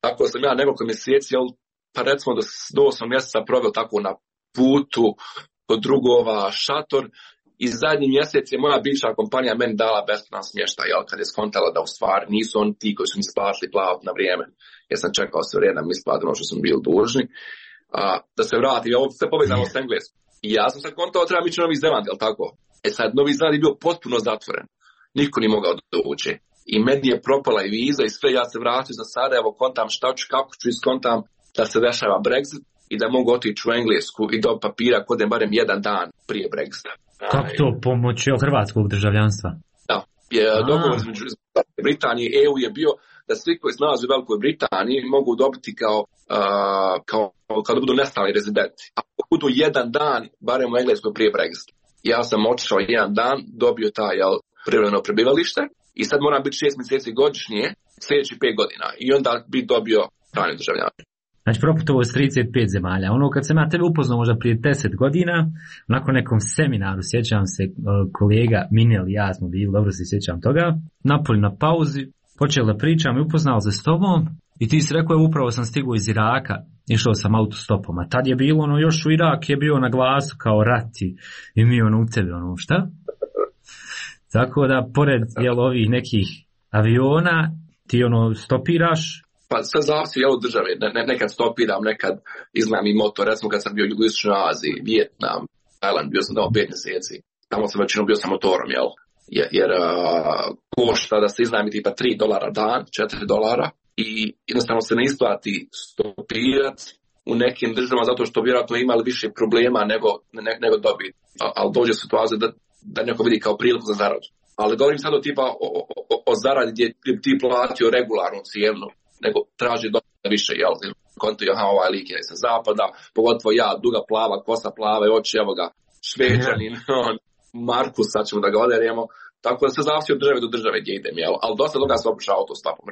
Tako sam ja nekoliko mjeseci, pa recimo do 8 mjeseca proveo tako na putu kod drugova, šator, i zadnji mjesec je moja bivša kompanija meni dala besplatan smještaj, kad je skontala da u stvari nisu oni ti koji su mi splatili plavat na vrijeme, jer sam čekao sve vrijeme da mi isplati ono što sam bili dužni. Da se vrati, ovo sve povezano s Engleskom. I ja sam sad kontao treba ići u Novi Zeland, jel tako? Sad, Novi Zeland je bio potpuno zatvoren. Niko nije mogao doći. I meni je propala i viza i sve, ja se vratio za Sarajevo, kontam šta ću, kako ću iskontam da se dešava Brexit i da mogu otići u Englesku i do papira kodem barem jedan dan prije Brexita. Kako to pomoći hrvatskog državljanstva? Da, dogovor između Britanije i EU je bio da svi koji se nalaze u Velikoj Britaniji mogu dobiti kao da budu nestalni rezidenti. Ako budu jedan dan, barem u Engleskoj prije Brexita. Ja sam otišao jedan dan, dobio taj privremeno prebivalište i sad moram biti 6 mjeseci godišnje, sljedeći 5 godina i onda bi dobio trajno državljanstvo. Znači, proputovo s 35 zemalja. Ono, kad sam ja tebe upoznao možda prije 10 godina, nakon nekom seminaru, sjećam se, kolega Minel i ja smo bili, dobro se sjećam toga, napoli na pauzi, počeli da pričam i upoznao se s tobom i ti si rekao, upravo sam stigao iz Iraka, išao sam autostopom, a tad je bilo, ono, još u Irak je bio na glasu kao rat i mi ono u tebe, ono, šta? Tako da, pored ovih nekih aviona, ti ono stopiraš. Pa sve zavisi od države, nekad stopiram, nekad iznajmim motor, recimo kad sam bio u Jugoistočnoj Aziji, Vijetnam, Tajland, bio sam tamo 5 mjeseci, tamo sam većinom bio sa motorom, jer košta da se iznajmi tipa $3 dan, $4 i jednostavno se ne isplati stopirati u nekim državama zato što vjerojatno imali više problema nego dobiti, ali dođe situacija da neko vidi kao priliku za zaradu. Ali govorim sad tipa o zaradi gdje ti platio regularnu cijenu, nego traži dosta više, konto je, ovaj lik je sa zapada, pogotovo ja, duga plava, kosa plave, oči, evo ga, Šveđanin, Markus, sad ćemo da ga oderemo, tako da se zavisi od države do države gdje idem, ali dosta toga sam opušao autostopom.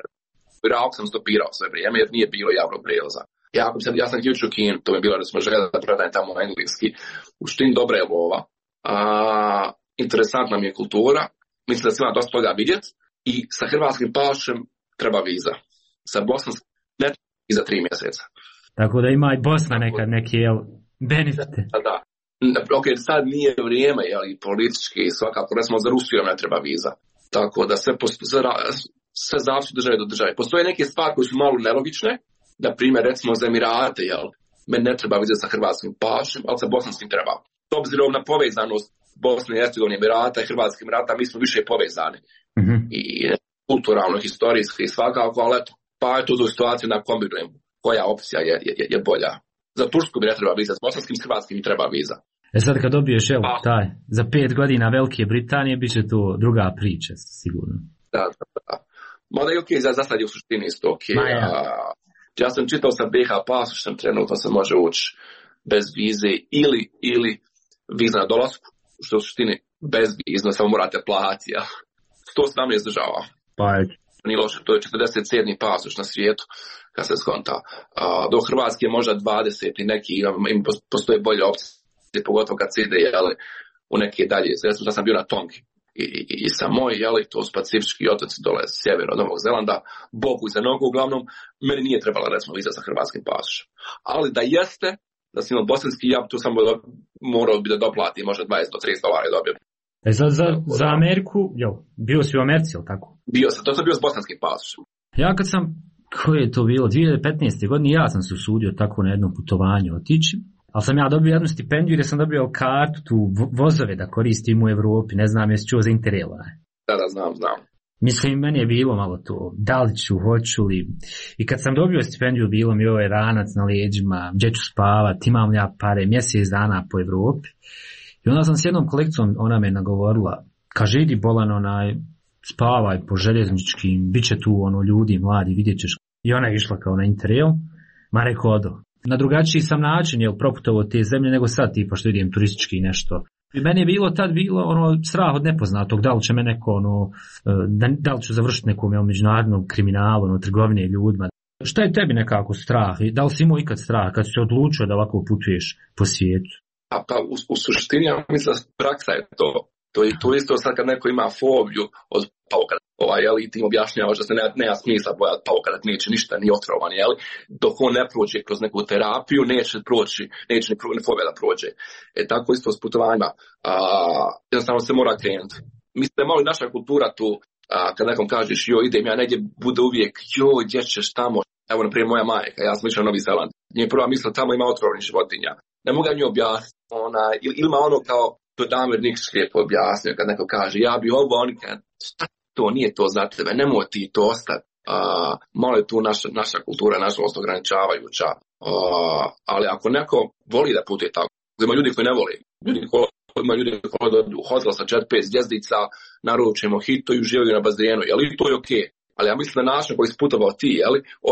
U Iraku sam stopirao sve vrijeme, jer nije bilo javnog prijevoza. Ja sam ključ u Kinu, to mi je bilo da smo željeli da predajem tamo na engleski, u štini dobra je lova, interesantna mi je kultura, mislim da se ima dosta toga vidjeti i sa hrvatskim pašem treba viza. Sa bosanskim ne i za 3 mjeseca. Tako da ima i Bosna nekad neke benefite. Da. Ok, sad nije vrijeme, i politički i svakako, recimo za Rusiju ne treba viza. Tako da sve zavisi od države do države. Postoje neke stvari koje su malo nelogične, da primjer recimo za Emirate, meni ne treba viza sa hrvatskim pašem, ali sa bosanskim treba. S obzirom na povezanost Bosne i Hercegovine, Emirata i Hrvatskih Emirata, mi smo više povezani. Mm-hmm. I kulturalno, historijski i svakako, ali eto, pa je tu situaciju na kombinujem koja opcija je bolja. Za Tursku mi ne treba viza, s bosanskim i hrvatskim mi treba viza. Sad kad dobiješ taj, za 5 godina Velike Britanije, bit će to druga priča, sigurno. Da. Mada je okej, za sad je u suštini isto okej. Ja sam čitao sa BiH pasošem, trenutno se može ući bez vize ili viza na dolasku, što je u suštini bez viza, samo morate platiti. 117 država. Pa je. Nije loše, to je 47. pasoš na svijetu, kad se skonta. Do Hrvatske je možda 20 i neki, postoje bolje opcije, pogotovo kad se ide u neke dalje. Ja sam bio na Tongi i Samoj, to su pacifički otoci dole sjeverno od Novog Zelanda, Bogu i za nogu, uglavnom, meni nije trebala recimo viza sa hrvatskim pasošem. Ali da jeste, da sam imao bosanski, ja tu sam morao bi da doplati možda $20 do $30 dobio. Za Ameriku, bio si u Americi, ili tako? Bio sam, to sam bio s bosanskim pasošem. Ja kad sam, koje je to bilo, 2015. godine, ja sam se usudio tako na jednom putovanju otići, ali sam ja dobio jednu stipendiju jer sam dobio kartu, tu vozove da koristim u Evropi, ne znam jesi čuo za Interraila. Da, znam. Mislim, meni je bilo malo to, da li ću, hoću li. I kad sam dobio stipendiju, bilo mi ovaj ranac na leđima, gdje ću spavat, imam ja pare, mjesec dana po Evropi. I onda sam s jednom kolekcijom, ona me nagovorila, kaže, idi bolan, spavaj po željezničkim, bit će tu ljudi, mladi, vidjet ćeš. I ona je išla kao na Interrail, ma rekao odo. Na drugačiji sam način, proputovao te zemlje nego sad, tipa što idem turistički nešto. I meni je tad bilo strah od nepoznatog, da li će me neko, da li ću završiti nekom međunarodnom kriminalu, trgovine ljudima. Šta je tebi nekako strah? Da li si imao ikad strah kad si se odlučio da ovako putuješ po svijetu? Pa u suštini, ja mislim da praksa je to. To je isto sad kad neko ima fobiju od pauka, i ti im objašnjavaš da se nema smisla bojati pauka, da neće ništa, ni otrovan, dok on ne prođe kroz neku terapiju, neće ni fobija da prođe. Tako isto s putovanjima, jednostavno se mora krenuti. Mislim da je malo i naša kultura tu, kad nekom kažeš, idem ja negdje, bude uvijek, gdje ćeš tamo, evo naprijed moja majka, ja sam išao na Novi Zeland, nje prva misla, tamo ima otrovnih životinja. Ne mogu mi objasniti, ili ima kao to Damir Nikšić lijepo objasnio kad neko kaže, ja bi ovo, oni kad, šta to, nije to za tebe, nemoj ti to ostati. Malo je tu naša kultura, nažalost, ograničavajuća, ali ako neko voli da putuje tako, ima ljudi koji ne voli, ima ljudi koji dođu u hotel sa 4-5 zvjezdica, naručimo hito i uživaju na bazenu, to je okej. Ali ja mislim da način koji si putovao ti,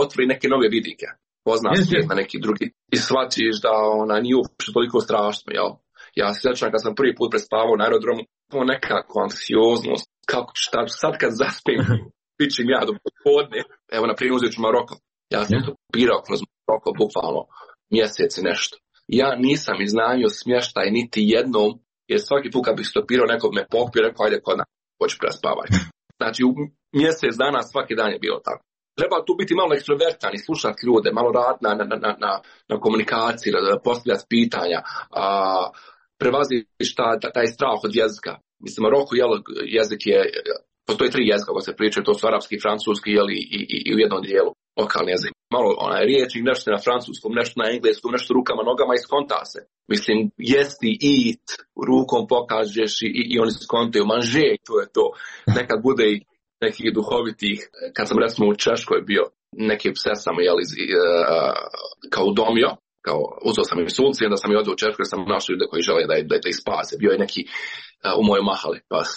otvori neke nove vidike, pozna svijet na neki drugi i shvatiš da nije uopšte toliko strašno, Ja se sjećam kad sam prvi put prespavao na aerodromu, nekako anksioznost, kako šta sad kad zaspim, pičim ja do popodne. Evo, na primjer, uzet ću Maroko. Ja sam stopirao kroz Maroko, bukvalno mjesec i nešto. Ja nisam iznajmio smještaj niti jednom, jer svaki put kad bih stopirao, nekog me pokupio, rekao, ajde kod nas, hoću prespavaj. Znači, u mjesec dana svaki dan je bilo tako. Treba tu biti malo ekstrovertan i slušati ljude, malo raditi na komunikaciji, postavljati pitanja, prevaziš taj strah od jezika. Mislim, Maroko, jezik je, postoji 3 jezika koji se pričaju, to su arapski, francuski i u jednom dijelu lokalni jezik. Malo riječnik, nešto na francuskom, nešto na engleskom, nešto rukama, nogama i skonta se. Mislim, jesti, eat, rukom pokažeš i oni skontaju, manže, to je to. Nekad bude i nekih duhovitih, kad sam recimo u Češkoj bio, neke pse sam kao udomio, kao uzeo sam im sulci, onda sam i odio u Češkoj, jer sam našao ljude koji žele da ih spase. Bio je neki u mojoj mahali pas.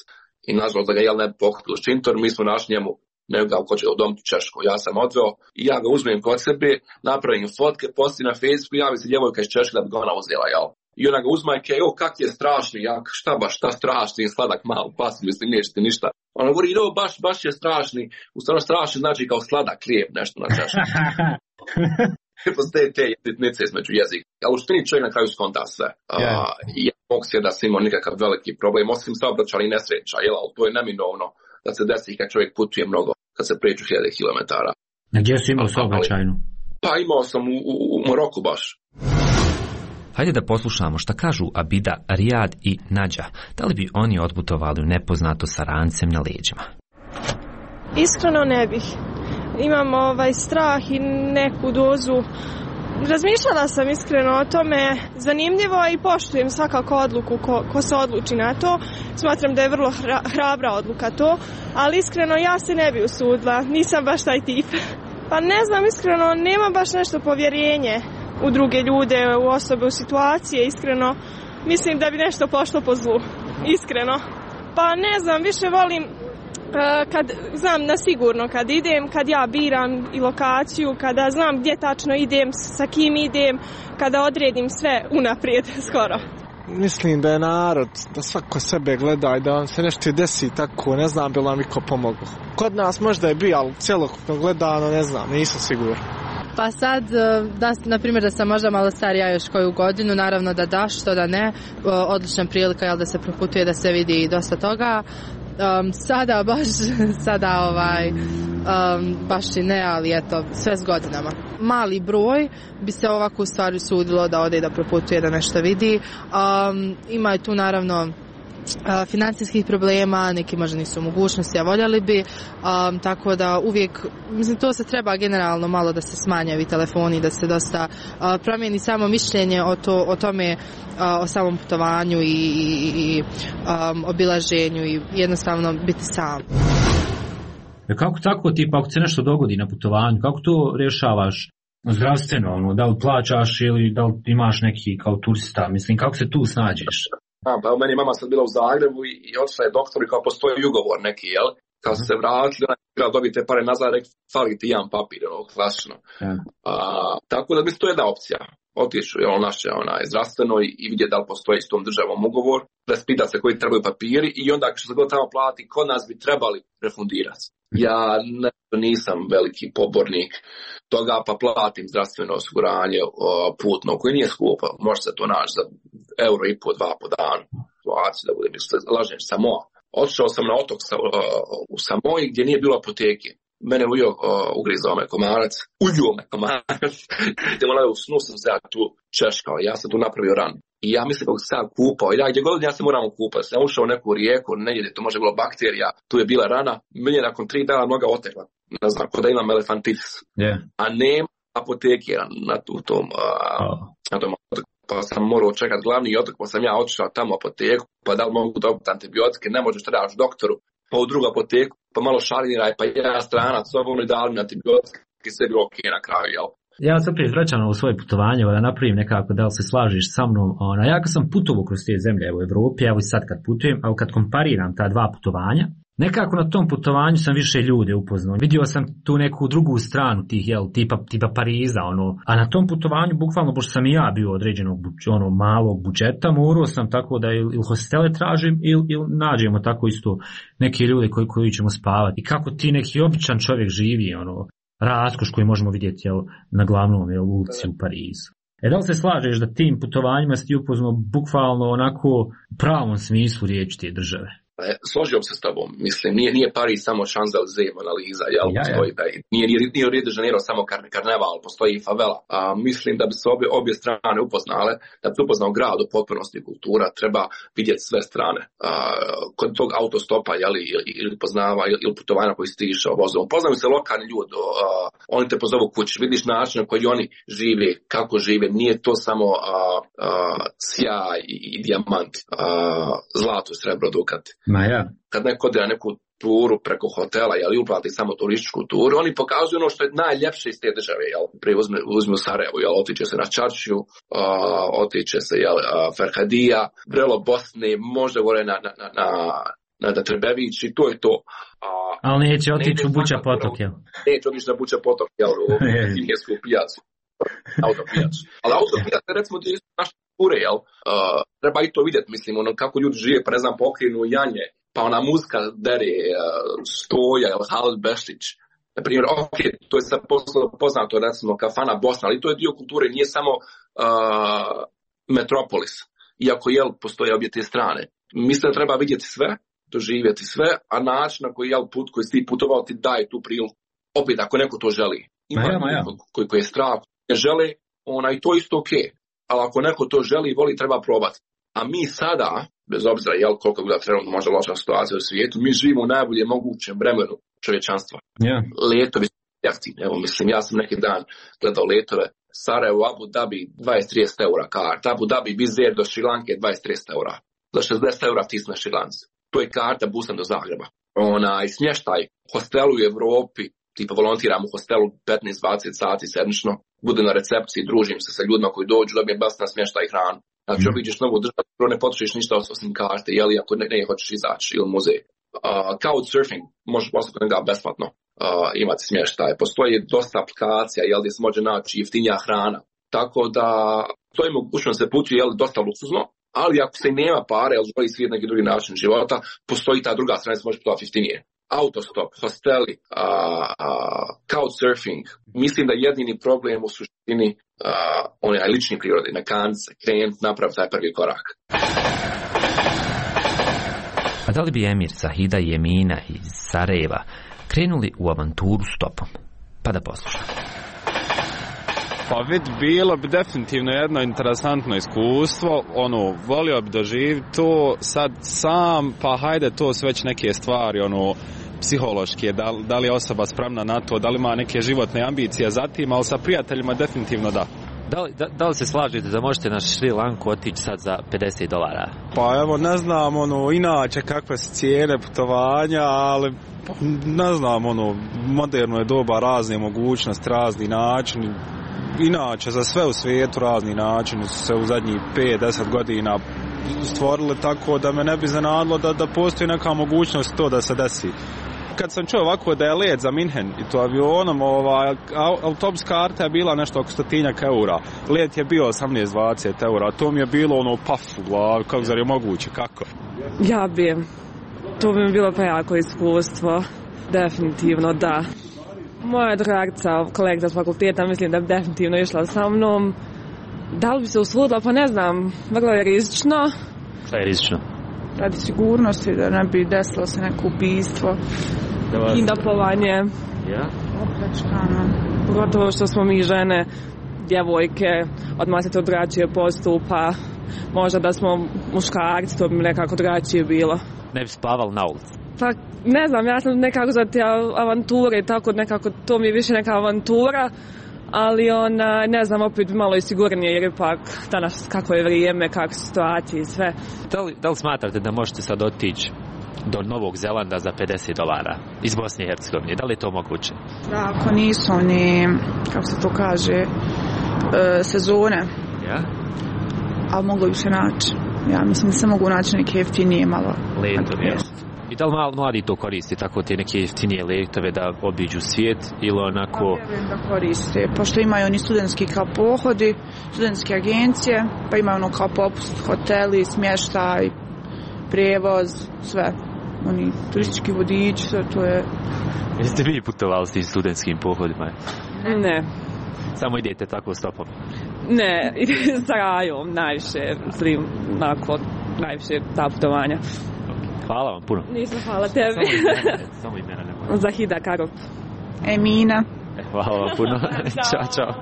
I nažalost da ga ne pokupili ščintor, mi smo našli njemu nekoga ko će udomiti u Češku. Ja sam odveo i ja ga uzmem kod sebe, napravim fotke, posti na Facebooku, javi se djevojka iz Češke da bi ga ona uzela, jel? I ona ga uzma i kaže, kak je strašni, šta strašni, sladak malo pas, mislim, neće ti ništa. Ona govori, baš je strašni, u stvarno strašni znači kao sladak lijep, nešto na Češki. Postoje te jednice između jezika. Ali u štini čovjek na kraju skonta sve. I ja mogu se da sam imao nikakav veliki problem, osim saobraćajnih nesreća, jel, ali to je neminovno da se desi kad čovjek putuje mnogo, kad se pređu 1000 kilometara. A gdje si imao saobraćajnu? Pa imao sam u Maroku baš. Hajde da poslušamo šta kažu Abida, Rijad i Nađa. Da li bi oni otputovali u nepoznato sa rancem na leđima? Iskreno ne bih. Imam strah i neku dozu. Razmišljala sam iskreno o tome, zanimljivo, i poštujem svakako odluku ko se odluči na to. Smatram da je vrlo hrabra odluka to, ali iskreno ja se ne bi usudila, nisam baš taj tip. Pa ne znam, iskreno nemam baš nešto povjerenje u druge ljude, u osobe, u situacije, iskreno. Mislim da bi nešto pošlo po zlu, iskreno. Pa ne znam, više volim kad znam na sigurno kad idem, kad ja biram i lokaciju, kada znam gdje tačno idem, sa kim idem, kada odredim sve unaprijed skoro. Mislim da je narod, da svako sebe gleda i da vam se nešto desi tako, ne znam bi li vam iko pomogao. Kod nas možda je bio, ali cjelokupno gledano ne znam, nisam siguran. Pa sad, na primjer da sam možda malo starija još koju godinu, naravno da što da ne, odlična prilika da se proputuje, da se vidi dosta toga. Sada baš i ne, ali eto, sve s godinama. Mali broj bi se ovako u stvari sudilo da ode da proputuje, da nešto vidi. Ima je tu naravno financijskih problema, neki možda nisu u mogućnosti, a voljeli bi, tako da uvijek, mislim, to se treba generalno malo da se smanje ovi telefoni, da se dosta promijeni samo mišljenje o tome, o samom putovanju i obilaženju i jednostavno biti sam. Kako tako, tipa, ako se nešto dogodi na putovanju, kako to rješavaš zdravstveno, da li plaćaš ili da li imaš neki kao turista, mislim, kako se tu snađeš? Pa u meni mama sad bila u Zagrebu i otišla je doktor i kao postoji ugovor neki, jel? Kad su se vratili, ona je trebala dobiti te pare nazad, rekli, fali ti jedan papir, klasično. Tako da mislim, to je jedna opcija. Otišu naše zdravstveno i vidjeti da li postoji s tom državom ugovor, raspita se koji trebaju papiri i onda što se god tamo plati, kod nas bi trebali refundirati. Ja nisam veliki pobornik toga, pa platim zdravstveno osiguranje putno, koje nije skupo, može se to naći za €1,5, €2 po danu. Da bude, lažem, Samoa. Otišao sam na otok u Samoji gdje nije bilo apoteke. Mene ugrizao me komarac, uljuo me komarac. U snu sam se ja tu češkao, ja sam tu napravio ran. I ja mislim kako sam kupao, ja gdje god ja se moram kupati. Sam ušao u neku rijeku, negdje to može bilo bakterija, tu je bila rana, meni je nakon 3 dana noga otekla. Ne znam, kod da imam elefantitis. A nema apoteke na tom otoku. Pa sam morao čekati glavni otok, pa sam ja otišao tamo u apoteku, pa da li mogu dobiti antibiotike, ne možeš trebaš doktoru, pa u drugu apoteku, pa malo šaliniraj, pa ja stranac, sobom i dali mi antibiotike, sve bilo ok na kraju, jel? Ja se opet vraćam na svoje putovanje, da napravim nekako, da li se slažiš sa mnom. Ja kad sam putovao kroz te zemlje u Evropi, evo i sad kad putujem, ali kad kompariram ta dva putovanja, nekako na tom putovanju sam više ljude upoznao. Vidio sam tu neku drugu stranu tih, tipa Pariza, a na tom putovanju, bukvalno, pošto sam i ja bio određenog malog budžeta, morao sam tako da ili hostele tražim ili nađemo tako isto neke ljude koji ćemo spavati. I kako ti neki običan čovjek živi, raskoš koji možemo vidjeti na glavnom ulici u Parizu. Da li se slažeš da tim putovanjima si ti upoznao bukvalno onako u pravom smislu riječi te države? Složio se s tobom, mislim, nije Pariz samo Champs-Élysées, Mona Lisa, postoji taj, nije Rio de Janeiro samo karneval, postoji i favela. Mislim da bi se obje strane upoznale, da bi se upoznao grad u potpunosti kultura, treba vidjeti sve strane. Kod tog autostopa, ili poznava, ili putovanja koji si išao vozom, poznaju se lokalni ljudi, oni te pozovu kući, vidiš način na koji oni žive, kako žive, nije to samo sjaj i dijamant, zlato, srebro, dukat. Kad neko ode na neku turu preko hotela, uplati samo turističku turu, oni pokazuju ono što je najljepše iz te države, prije uzme u Sarajevo, otiče se na Čaršiju, otiče se Ferhadija, Vrelo Bosne, možda gore na Trebević i to je to. Ali neće otići u Buča potok, Neće otići na Buča potok, u Kinjesku pijacu, autopijacu. Ali autopijac, recimo, ti naš ture, treba i to vidjeti, mislim, kako ljudi žive, pa ne znam, pokrenu janje, pa ona muzika dere, Stoja, Halil Bešić, na primjer, to je sad poznato, recimo, kafana Bosna, ali to je dio kulture, nije samo metropolis, iako, postoje obje te strane. Mislim da treba vidjeti sve, doživjeti sve, a način na koji si ti putovao ti daje tu priliku. Opet, ako neko to želi. Ima koji je strah, ne žele, i to isto okej. Ali ako neko to želi i voli, treba probati. A mi sada, bez obzira koliko je bila trenutno možda loša situacija u svijetu, mi živimo u najbolje mogućem vremenu čovječanstva. Letovi su jeftini. Evo, mislim, ja sam neki dan gledao letove Sarajevo, Abu Dhabi, 20-30 eura karta, Abu Dhabi, Bizer do Šrilanke, 20-30 eura. Za 60 eura ti si na Šrilanci. To je karta busom do Zagreba. I smještaj, hostelu u Evropi, tipa volontiram u hostelu 15-20 sati sedmično, budem na recepciji, družim se sa ljudima koji dođu, dobijem besplatan smještaj i hranu. Znači, obiđeš novu državu, ne potrošiš ništa osim karte, ako ne hoćeš izaći ili muzej. Couchsurfing, možeš poslati njega besplatno imati smještaj. Postoji dosta aplikacija, gdje se može naći jeftinija hrana. Tako da, to je mogućnost se putuje, dosta luksuzno, ali ako se nema pare, želi svijet neki drugi način života, postoji ta druga strana, se može putovati jeftinije. Autostop, hosteli, couchsurfing. Mislim da jedini problem u suštini onaj lični prirode, na kance, krenuti, napraviti taj prvi korak. A da li bi emir Zahida i Emina iz Sarajeva krenuli u avanturu stopom? Pa da poslušamo. Pa bilo bi definitivno jedno interesantno iskustvo, volio bi doživjeti to sad sam, pa hajde to su već neke stvari, psihološke, da li je osoba spremna na to, da li ima neke životne ambicije za tim, ali sa prijateljima definitivno da. Da li se slažete da možete na Šri Lanku otići sad za $50? Pa evo, ne znam, inače kakve su cijene putovanja, ali ne znam, moderno je doba, razne mogućnosti, razni načini. Inače, za sve u svijetu razni načini su se u zadnjih 5-10 godina stvorili, tako da me ne bi iznenadilo da postoji neka mogućnost to da se desi. Kad sam čuo ovako da je let za Minhen i to avionom, autobus karta je bila nešto oko 100 eura. Let je bio 18-20 eura, to mi je bilo paf u glavi, kako zar je moguće, kako? Ja bi, to bi mi bilo prejako iskustvo, definitivno da. Moja dragca, kolegica s fakulteta, mislim da bi definitivno išla sa mnom. Da li bi se usudila? Pa ne znam, vrlo je rizično. Šta je rizično? Radi sigurnosti, da ne bi desilo se neko ubistvo, kidnapovanje, opljačkano. Pogotovo što smo mi žene, djevojke, odmah se to drugačije postupa. Možda da smo muškarci, to bi nekako drugačije bilo. Ne bi spavali na ulici? Pa ne znam, ja sam nekako za te avanture i tako nekako, to mi je više neka avantura, ali ne znam, opet malo i sigurnije jer ipak danas kako je vrijeme, kakve su situacije i sve. Da li smatrate da možete sad otići do Novog Zelanda za $50 iz Bosne i Hercegovine? Da li je to moguće? Da, ako nisu oni, kako se to kaže, sezone. Ja? Ali moglo bi se naći. Ja mislim da se mogu naći neke jeftinije malo. Letom, ja. I da li mladi to koriste, tako te neke jeftinije letove da obiđu svijet ili onako... Pa vjerujem da koriste, pošto imaju oni studentski kao pohodi, studentske agencije, pa imaju ono kao popust, hoteli, smještaj, prijevoz, sve. Oni turistički vodič, sve to je... Jeste vi putovali s tim studentskim pohodima? Ne. Samo idete tako stopom? Ne, idem sa rajom najviše, najviše ta putovanja. Hvala vam puno. Nisam, hvala tebi. Samo imena nema. Zahida Karop. Emina. Hvala vam puno. Ćao.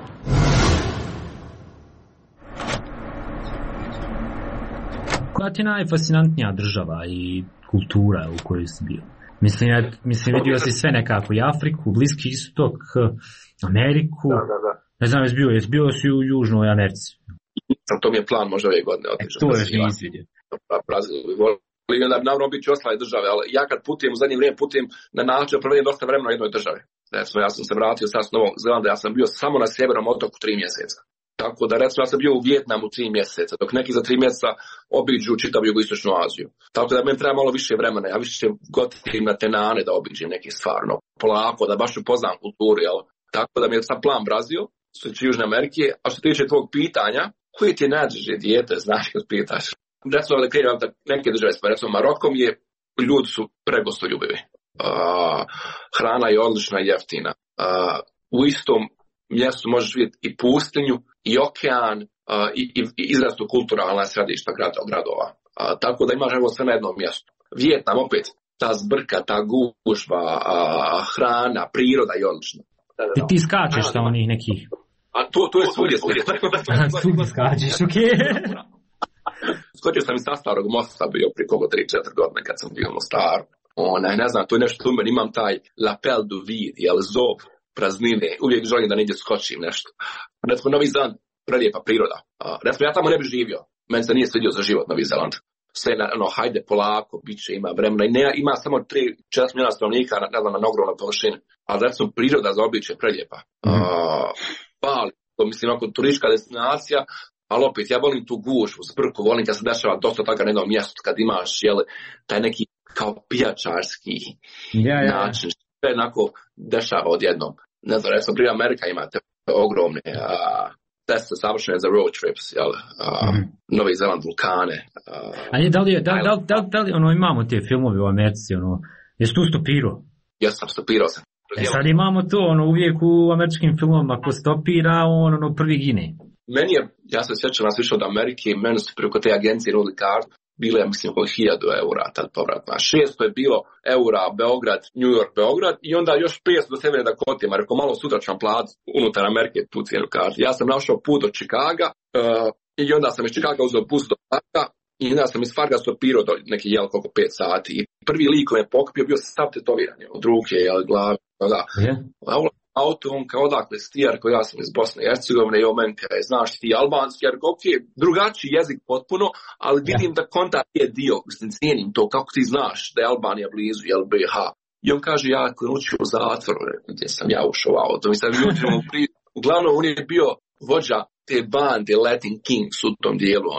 Koja ti je najfascinantnija država i kultura u kojoj si bio? Mislim, vidio si sve nekako, i Afriku, Bliski istok, Ameriku. Da. Ne znam, jesi bio si u Južnoj Americi? To mi je plan možda ove godine otići. To još nisi vidio. Da bi naravno biti ostale države, ali ja kad putujem u zadnje vrijeme putujem na način provedem dosta vremena u jednoj državi. Recimo, ja sam se vratio sad s Novog Zelanda, ja sam bio samo na sjevernom otoku 3 mjeseca. Tako da recimo ja sam bio u Vijetnamu 3 mjeseca, dok neki za 3 mjeseca obiđu čitavu jugoistočnu Aziju. Tako da meni treba malo više vremena, ja više gotivim na tenane da obiđem neke stvarno, polako, da baš upoznam kulturu, jel? Tako da mi je sad plan Brazil, što će Južne Amerike, a što tiče tvog pitanja, koji ti je najdraže dijete, znaš kad pitaš? Recimo da krenem neke države, recimo Marokom je, ljudi su pregostoljubivi. Hrana je odlična i jeftina. U istom mjestu možeš vidjeti i pustinju, i okean, i izrazito kulturalna središta gradova. Tako da imaš evo sve na jednom mjestu. Vijetnam opet, ta zbrka, ta gužva, hrana, priroda je odlična. Ti skačeš sa onih nekih... A to je svugdje. Svugdje skačeš, okej. Skočio sam iz sa Starog mosta, bio prije kogo 3-4 godine kad sam bio u Mostaru. Ne znam, to je nešto u meni, imam taj lapel du vide, jel, zov praznine, uvijek želim da negdje skočim nešto. Recimo, Novi Zeland, prelijepa priroda. Recimo, ja tamo ne bi živio, meni se nije svidio za život Novi Zeland. Sve, hajde polako, bit će, ima vremena i ima samo 3-4 milijuna stanovnika na ogromnoj površini. Ali recimo, priroda za običaj je prelijepa. Bali, to mislim, ako turistička destinacija, ali opet, ja volim tu gužvu, zbrku, volim kad se dešava dosta toga na jednom mjestu, kad imaš, jel, taj neki kao pijačarski način, sve jednako dešava odjednom. Ne znam, recimo, prije Amerika imate ogromne teste savršene za road trips, jel, Novi Zeland, vulkane. Da li imamo te filmove u Americi, jesi tu stopirao? Ja sam stopirao se. Sad imamo to, uvijek u američkim filmovima, ko stopira, prvi gine. Meni je, ja se sjećam nas više od Amerike, meni su preko te agencije nudili kartu, bile je, mislim, oko 1000 eura tad povratna. 600 je bilo eura Beograd, New York, Beograd i onda još 500 do Severne Dakote, rekao malo sutra ću vam platiti unutar Amerike tu cijenu kartu. Ja sam našao put do Čikaga i onda sam iz Čikaga uzeo bus do Farga i onda sam iz Farga stopirao do neki jel koliko 5 sati. I prvi lik koji me pokupio bio sav tetoviran, od ruke, glave, da. Auto, on kao odakle stijar, koji ja sam iz Bosne i Hercegovine i on meni kaj, znaš ti albanski, jer drugačiji jezik potpuno, ali vidim da konta je dio, mislim, cijenim to, kako ti znaš da je Albanija blizu, jel BiH. I on kaže, ja ako učio u zatvoru, gdje sam ja ušao u auto, mislim, uglavnom on je bio vođa te bande Latin Kings u tom dijelu,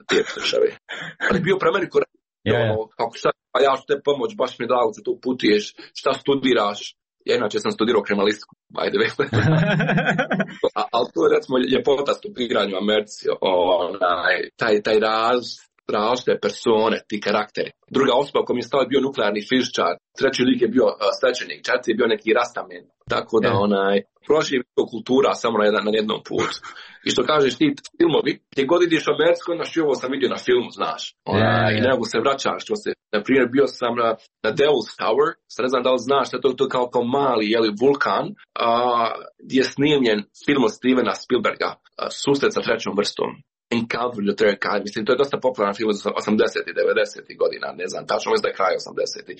te države. Ali bio pre meni kako šta, a ja ću te pomoć, baš mi je drago da tu putuješ, šta studiraš. Ja inače sam studirao kriminalistiku, ajde već. Ali to je recimo ljepota stupiranja u Americi, taj različite persone, ti karakteri. Druga osoba koja mi je stao je bio nuklearni fizičar, treći lik je bio svećenik, četvrti je bio neki rastamen. Tako da proživi kultura samo na jednom putu. I što kažeš ti filmovi, gdje god ideš u Ameriku, znaš, ovo sam vidio na filmu, znaš. I nego se vraćaš, na primjer, bio sam na Devil's Tower, sad ne znam da li znaš, to je kao mali vulkan, gdje je snimljen film od Stevena Spielberga, Susret sa trećom vrstom. Encounter with the Third Kind, mislim, to je dosta popularan film od 80-ih, 90-ih godina, ne znam, tačno mislim da je kraj 80-ih.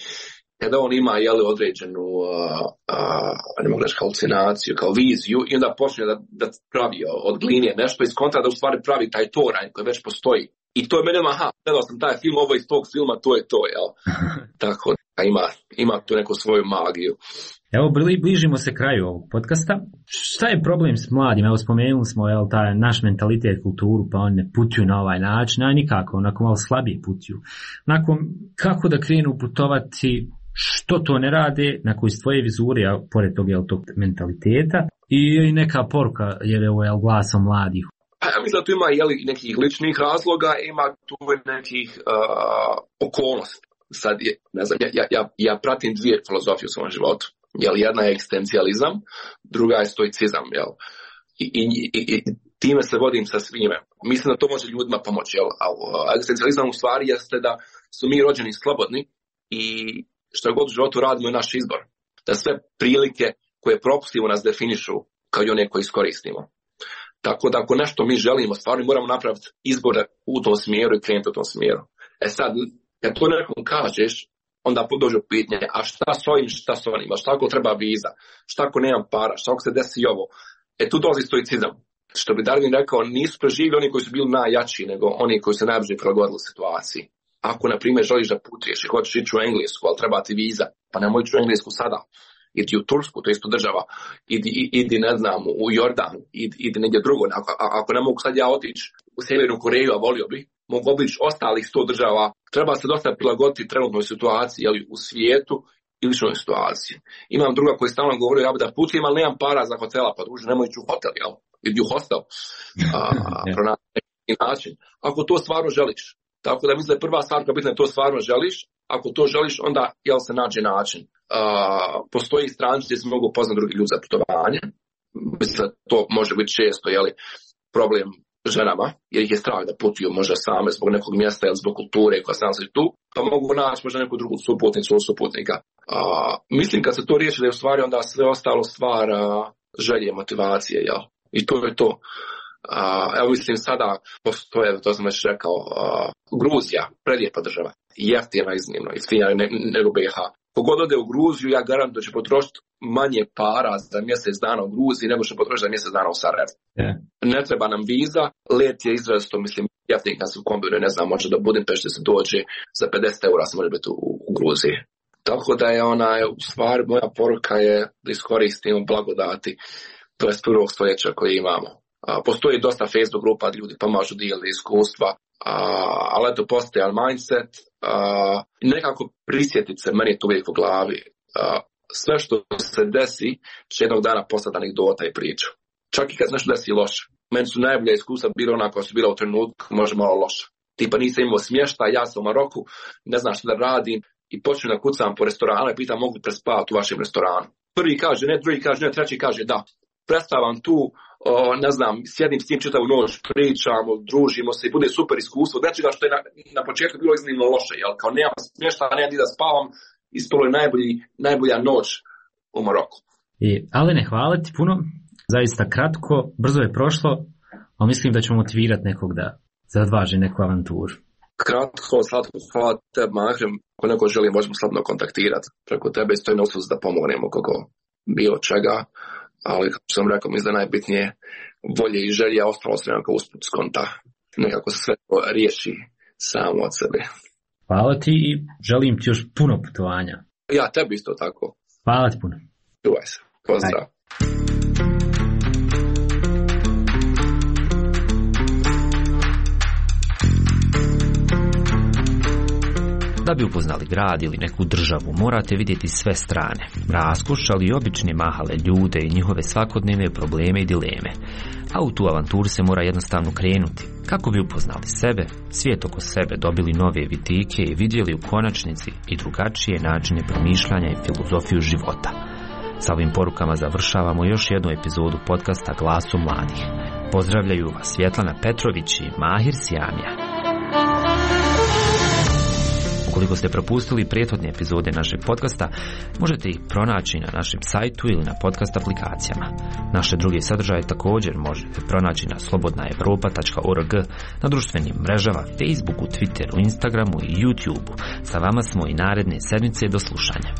Kada on ima, određenu, ne mogu reći, halucinaciju, kao viziju, i onda počne da pravi od gline nešto iz kontra, da u stvari pravi taj toranj koji već postoji. I to je mene, gledao sam taj film, ovo iz tog filma, to je to, jel? Tako, ima tu neku svoju magiju. Evo, bližimo se kraju ovog podcasta. Šta je problem s mladim? Evo, spomenuli smo taj naš mentalitet, kulturu, pa oni ne putuju na ovaj način, a nikako, onako malo slabije putuju. Kako da krenu putovati, što to ne rade, na koji svoje vizure, a pored tog mentaliteta, i neka poruka, jer evo je glasom mladih. Ja mislim da tu ima nekih ličnih razloga, ima tu nekih okolnosti. Sad, ne znam, ja pratim dvije filozofije u svom životu. Jedna je egzistencijalizam, druga je stoicizam. I time se vodim sa svime. Mislim da to može ljudima pomoći. Egzistencijalizam u stvari jeste da su mi rođeni slobodni i što god u životu radimo je naš izbor. Da sve prilike koje propustimo nas definišu kao i one koje iskoristimo. Tako da ako nešto mi želimo stvarno moramo napraviti izbor u tom smjeru i krenuti u tom smjeru. Sad, kad to nekom kažeš, onda dođe pitanje, a šta s ovim, šta s onim, a šta ako treba viza, šta ako nemam para, šta ako se desi ovo. Tu dolazi stoicizam. Što bi Darwin rekao, nisu preživjeli oni koji su bili najjači, nego oni koji se najbrže prilagodili situaciji. Ako, na primjer, želiš da putuješ i hoćeš ići u Englesku, ali treba ti viza, pa nemoj ići u Englesku sada. Idi u Tursku, to je isto država, idi ne znam, u Jordan, idi negdje drugo. Ako ne mogu sad ja otići u Sjevernu Koreju, a volio bi, mogu obići ostalih 100 država. Treba se dosta prilagoditi trenutnoj situaciji, u svijetu i ličnoj situaciji. Imam druga koji stalno govori, ja bi da putujem, ali nemam para za hotela, pa druže, nemoj ići u hotel, idi u hostel. Pronaći način. Ako to stvarno želiš. Tako da mislim da je prva stvar koja bitna je to stvarno želiš. Ako to želiš, onda se nađe način. Postoji stranice gdje se mogu upoznati drugi ljudi za putovanje. Mislim da to može biti često problem ženama, jer ih je strah da putuju možda same zbog nekog mjesta ili zbog kulture koja se nalazi tu, pa mogu naći možda neku drugu suputnicu ili suputnika. Mislim kad se to riješi da je u stvari onda sve ostalo stvar želje, motivacije, i to je to. Evo mislim sada postoje, to sam već rekao, Gruzija, prelijepa država, jeftina iznimno, jeftinija nego BiH. Kogod ode u Gruziju, ja garantujem da će potrošiti manje para za mjesec dana u Gruziji nego što potrošiti za mjesec dana u Sarajevu. Ne treba nam viza, let je izrazito, mislim, jeftin kad se u kombinu, ne znam, može do Budimpešte se dođe, za 50 eura se može biti u Gruziji. Tako da je u stvari, moja poruka je da iskoristimo blagodati 21. stoljeća koje imamo. Postoji dosta Facebook grupa gdje ljudi pomažu, dijeli iskustva, ali eto postoji mindset, nekako prisjetiti se, meni je to uvijek u glavi, sve što se desi će jednog dana postati anegdota i priča. Čak i kad se nešto desi loše. Meni su najbolja iskustva bila ona koja su bila u trenutku možda malo loša. Tipa nisam imao smještaj, ja sam u Maroku, ne znam što da radim i počnem da kucam po restoranu i pitam mogu li prespavati u vašem restoranu. Prvi kaže ne, drugi kaže ne, treći kaže da. Predstavam tu, ne znam, sjedim s tim čitavu noć, pričamo, družimo se i bude super iskustvo. Nečega što je na početku bilo iznimno loše, kao nemam smještaja, nemam gdje da spavam, ispalo je najbolja noć u Maroku. Alene, hvala ti puno, zaista kratko, brzo je prošlo, ali mislim da ćemo motivirati nekog da zadvaži neku avanturu. Kratko, slatko, hvala tebi, Mahrem. Ako neko želi, možemo slobodno kontaktirati preko tebe i stoji na usluzi da pomognemo kako bilo čega. Ali, kako sam rekao, mislim da najbitnije volje i želje, ostalo se nekako usput skonta. Nekako se sve to riješi samo od sebe. Hvala ti i želim ti još puno putovanja. Ja, tebi isto tako. Hvala ti puno. Čuvaj se. Pozdrav. Da bi upoznali grad ili neku državu, morate vidjeti sve strane, raskoš, ali i obične mahale ljude i njihove svakodnevne probleme i dileme. A u tu avanturu se mora jednostavno krenuti, kako bi upoznali sebe, svijet oko sebe, dobili nove vidike i vidjeli u konačnici i drugačije načine promišljanja i filozofiju života. Sa ovim porukama završavamo još jednu epizodu podcasta Glasu mladih. Pozdravljaju vas Svjetlana Petrović i Mahir Sjamija. Ukoliko ste propustili prethodne epizode našeg podcasta, možete ih pronaći na našem sajtu ili na podcast aplikacijama. Naše druge sadržaje također možete pronaći na slobodnaevropa.org, na društvenim mrežama Facebooku, Twitteru, Instagramu i YouTubeu. Sa vama smo i naredne sedmice, do slušanja.